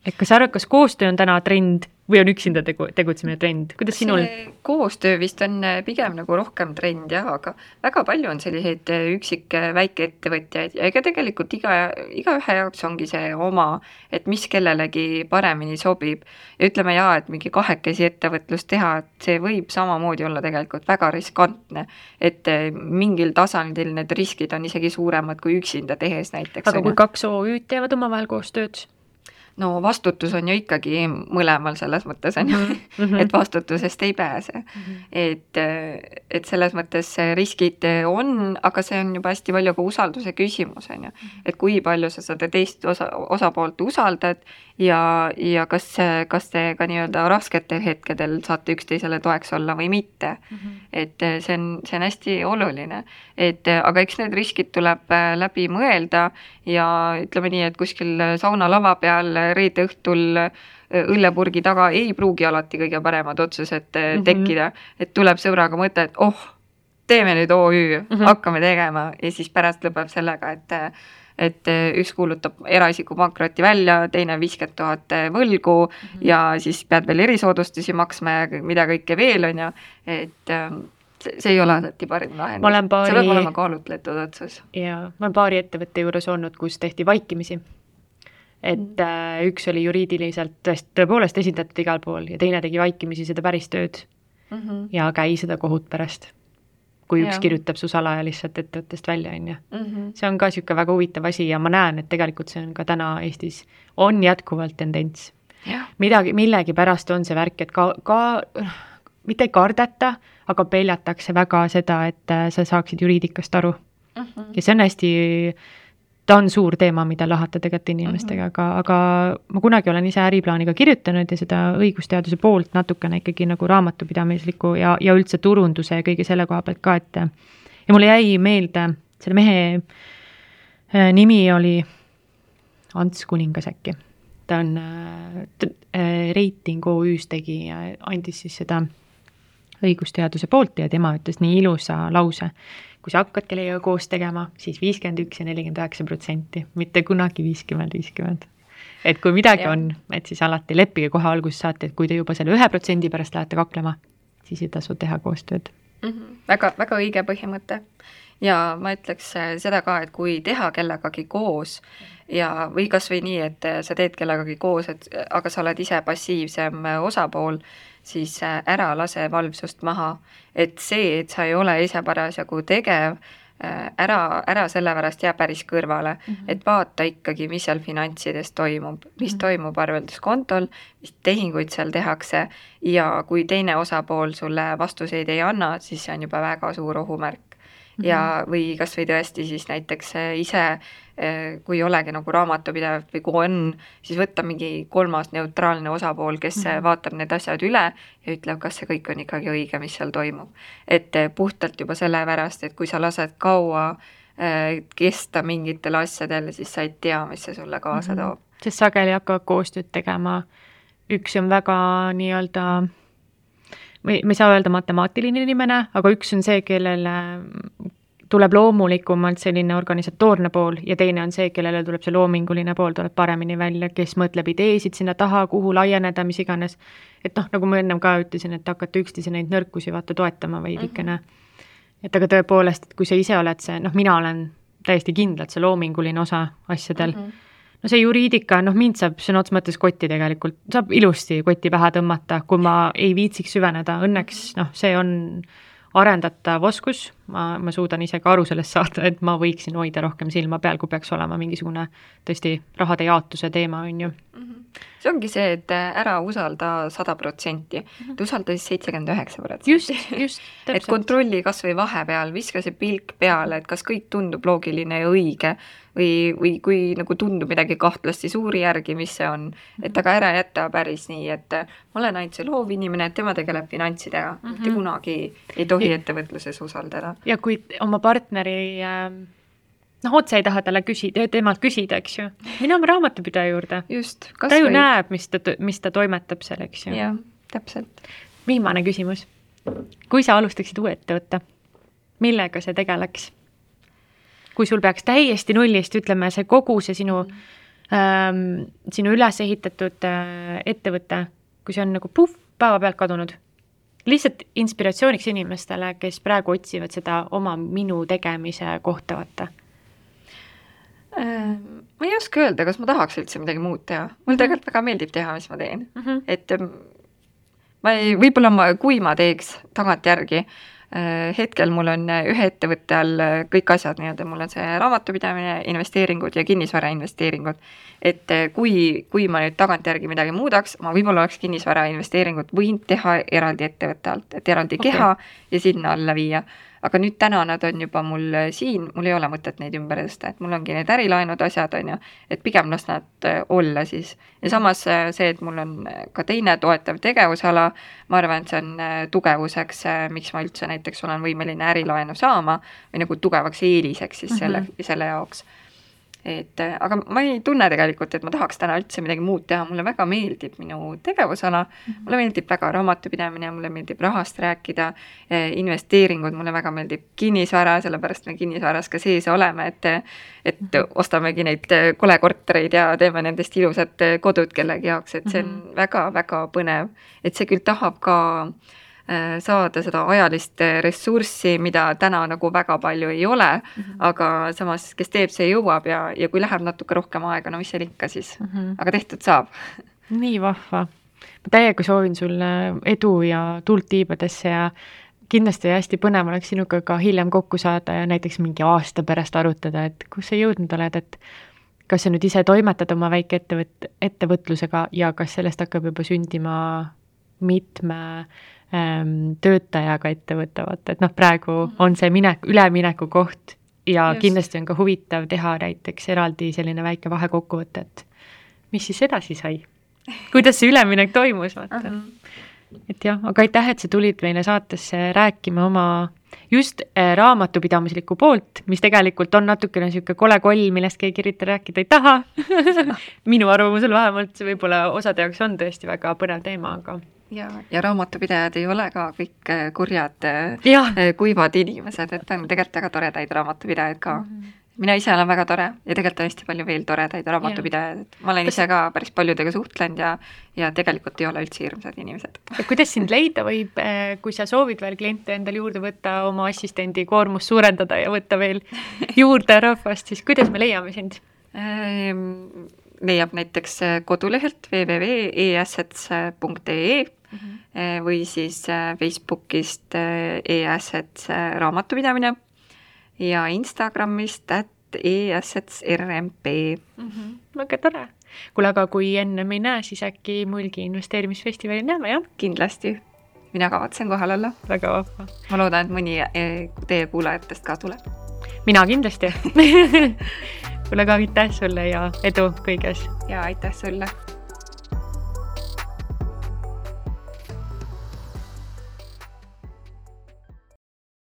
Et kas sa arvad, kas koostöö on täna trend või on üksinda tegutsemine trend? Kuidas sinul? Koostöö vist on pigem nagu rohkem trend, jah, aga väga palju on selliseid üksik väikeettevõtjaid ja ega tegelikult igaühe jaoks ongi see oma, et mis kellelegi paremini sobib. Ja ütleme et mingi kahekesi ettevõtlust teha, et see võib samamoodi olla tegelikult väga riskantne, et mingil tasandil need riskid on isegi suuremad kui üksinda tehes näiteks. Aga kui 2 OÜ teevad omavahel koostööd? No vastutus on ju ikkagi mõlemal selles mõttes, on ju, et vastutusest ei pääse. Et selles mõttes riskid on, aga see on juba hästi palju ka usalduse küsimus, on ju. Et kui palju sa seda teist osapoolt usaldad ja kas te ka nii-öelda rasketel hetkedel saate üksteisele toeks olla või mitte. Et see on hästi oluline. Aga eks need riskid tuleb läbi mõelda ja ütleme nii, et kuskil saunalava peal reede õhtul õllepurgi taga ei pruugi alati kõige paremad otsused tekkida, et tuleb sõbraga mõte, et teeme nüüd OÜ, hakkame tegema ja siis pärast lõpeb sellega, et üks kuulutab eraisiku pankroti välja, teine 50 000 võlgu ja siis pead veel erisoodustusi maksma ja mida kõike veel on ja, et see ei ole alati parim lahendus. See peab olema kaalutletud otsus. Ja ma olen paari ettevõtte juures olnud, kus tehti vaikimisi. Et üks oli juriidiliselt tõepoolest esindatud igal pool ja teine tegi vaikimisi seda päris tööd ja käi seda kohut pärast, kui üks kirjutab su salaja lihtsalt ettevõttest välja. See on ka siuke väga huvitav asi ja ma näen, et tegelikult see on ka täna Eestis on jätkuvalt tendents. Millegi pärast on see värk, et ka mitte ei kardeta, aga peljatakse väga seda, et sa saaksid juriidikast aru. Ja see on ta on suur teema, mida lahata tegelikult inimestega, aga ma kunagi olen ise äriplaaniga kirjutanud ja seda õigusteaduse poolt natukene ikkagi nagu raamatupidamisliku ja üldse turunduse ja kõige selle koha pealt ka, et ja mulle jäi meelde, selle mehe nimi oli Ants Kuningas äkki. Ta on Reiting OÜs tegi ja andis siis seda õigusteaduse poolt ja tema ütles nii ilusa lause. Kui sa hakkad kellega koos tegema, siis 51 ja 49%, mitte kunagi 50-50. Et kui midagi on, et siis alati leppige kohe alguses saate, et kui te juba selle 1% pärast lähete kaklema, siis ei tasu teha koostööd. Väga, väga õige põhimõte. Ja ma ütleks seda ka, et kui teha kellegagi koos ja või kas või nii, et sa teed kellegagi koos, aga sa oled ise passiivsem osapool, siis ära lase valvsust maha. Et see, et sa ei ole ise parasjagu tegev, ära sellepärast jää päris kõrvale. Et vaata ikkagi, mis seal finantsides toimub, mis toimub arvelduskontol, mis tehinguid seal tehakse ja kui teine osapool sulle vastuseid ei anna, siis see on juba väga suur ohumärk. Ja või kas või tõesti siis näiteks ise, kui ei olegi nagu raamatupidav või kui on, siis võtta mingi 3. neutraalne osapool, kes vaatab need asjad üle ja ütleb, kas see kõik on ikkagi õige, mis seal toimub. Et puhtalt juba sellepärast, et kui sa lased kaua kesta mingitel asjadel, siis sa ei tea, mis see sulle kaasa toob. Sest sageli hakkavad koostööd tegema. Üks on väga nii-öelda me ei saa öelda matemaatiline inimene, aga üks on see, kellele tuleb loomulikumalt selline organisatoorne pool ja teine on see, kellele tuleb see loominguline pool, tuleb paremini välja, kes mõtleb ideesid sinna taha, kuhu laieneda, mis iganes. Et nagu ma ennem ka ütlesin, et hakata üksteise neid nõrkusi vaata toetama veidikene. Et aga tõepoolest, et kui sa ise oled see, mina olen täiesti kindlalt see loominguline osa asjadel. No see juriidika, mind saab sõna otsa mõttes kotti tegelikult, saab ilusti kotti pähe tõmmata, kui ma ei viitsiks süveneda. Õnneks see on arendatav oskus, ma suudan ise ka aru sellest saada, et ma võiksin hoida rohkem silma peal, kui peaks olema mingisugune tõesti rahade jaotuse teema, on ju. See ongi see, et ära usalda 100%, et usalda siis 79%. Just, täpselt. Et kontrolli kas või vahepeal, viska see pilk peale, et kas kõik tundub loogiline ja õige või kui nagu tundub midagi kahtlast, siis uuri järgi, mis see on. Et aga ära jätta päris nii, et ma olen ainult see loovinimene, et tema tegeleb finantsidega. Mitte kunagi ei tohi ettevõtluses usaldada. Ja kui oma partneri otse ei taha temalt küsida, eks ju. Mine oma raamatupidaja juurde. Just. Ta ju näeb, mis ta toimetab seal, eks ju. Jah, täpselt. Viimane küsimus. Kui sa alustaksid uue ettevõtte, millega see tegeleks? Kui sul peaks täiesti nullist, ütleme, see kogu see sinu üles ehitatud ettevõte, kui see on nagu päeva pealt kadunud, lihtsalt inspiratsiooniks inimestele, kes praegu otsivad seda oma minu tegemise kohta võtta. Ma ei oska öelda, kas ma tahaks üldse midagi muud teha. Mul tegelikult väga meeldib teha, mis ma teen. Et võib-olla kui ma teeks tagantjärgi, hetkel mul on ühe ettevõtte all kõik asjad, mul on see raamatupidamine, investeeringud ja kinnisvara investeeringud. Et kui ma nüüd tagantjärgi midagi muudaks, ma võib-olla oleks kinnisvara investeeringut võinud teha eraldi ettevõtte alt, et eraldi keha ja sinna alla viia. Aga nüüd täna nad on juba mul siin, mul ei ole mõtet neid ümber tõsta, et mul ongi need ärilaenud asjad, on ju, et pigem las nad olla siis. Ja samas see, et mul on ka teine toetav tegevusala, ma arvan, et see on tugevuseks, miks ma üldse näiteks olen võimeline ärilaenu saama või nagu tugevaks eeliseks siis selle jaoks. Aga ma ei tunne tegelikult, et ma tahaks täna üldse midagi muud teha, mulle väga meeldib minu tegevusala, mulle meeldib väga raamatupidamine, mulle meeldib rahast rääkida, investeeringud, mulle väga meeldib kinnisvara, sellepärast me kinnisvaras ka sees oleme, et ostamegi neid kolekortereid ja teeme nendest ilusad kodud kellegi jaoks, et see on väga-väga põnev, et see küll tahab ka saada seda ajalist ressurssi, mida täna nagu väga palju ei ole, aga samas, kes teeb, see jõuab ja kui läheb natuke rohkem aega, no mis seal ikka siis, aga tehtud saab. Nii vahva. Ma täiega soovin sulle edu ja tuld tiibadesse ja kindlasti hästi põnev oleks sinuga ka hiljem kokku saada ja näiteks mingi aasta pärast arutada, et kus sa jõudnud oled, et kas sa nüüd ise toimetad oma väike ettevõtlusega ja kas sellest hakkab juba sündima mitme töötajaga ettevõtavad, et praegu on see ülemineku koht ja kindlasti on ka huvitav teha näiteks eraldi selline väike vahekokkuvõte, et mis siis edasi sai? Kuidas see üleminek toimus? Vaata. Et jah, aga aitäh, et sa tulid meile saatesse rääkima oma just raamatupidamislikku poolt, mis tegelikult on natukene niisugune kole koll, millest keegi kirjuta rääkida ei taha. Minu arvamusel vähemalt see võib-olla osade jaoks on tõesti väga põnev teema, aga ja raamatupidajad ei ole ka kõik kurjad, kuivad inimesed, et on tegelikult väga toredaid raamatupidajaid ka. Mina ise olen väga tore ja tegelikult on hästi palju veel toredaid raamatupidajaid. Ma olen ise ka päris paljudega suhtlenud ja tegelikult ei ole üldse hirmsad inimesed. Ja kuidas sind leida võib, kui sa soovid veel kliente endal juurde võtta, oma assistendi koormust suurendada ja võtta veel juurde rahvast, siis kuidas me leiame sind? Leiab näiteks kodulehelt www.eassets.ee või siis Facebookist eassets raamatupidamine ja Instagramist @eassetsrmp. Väga tore. Kuule, aga kui enne me ei näe, siis äkki Mulgi investeerimisfestivali näeme, jah? Kindlasti. Mina kavatsen kohal olla. Väga vahva. Ma loodan, et mõni teie kuulajatest ka tuleb. Mina kindlasti. Kuule, ka aitäh sulle ja edu kõiges. Ja aitäh sulle.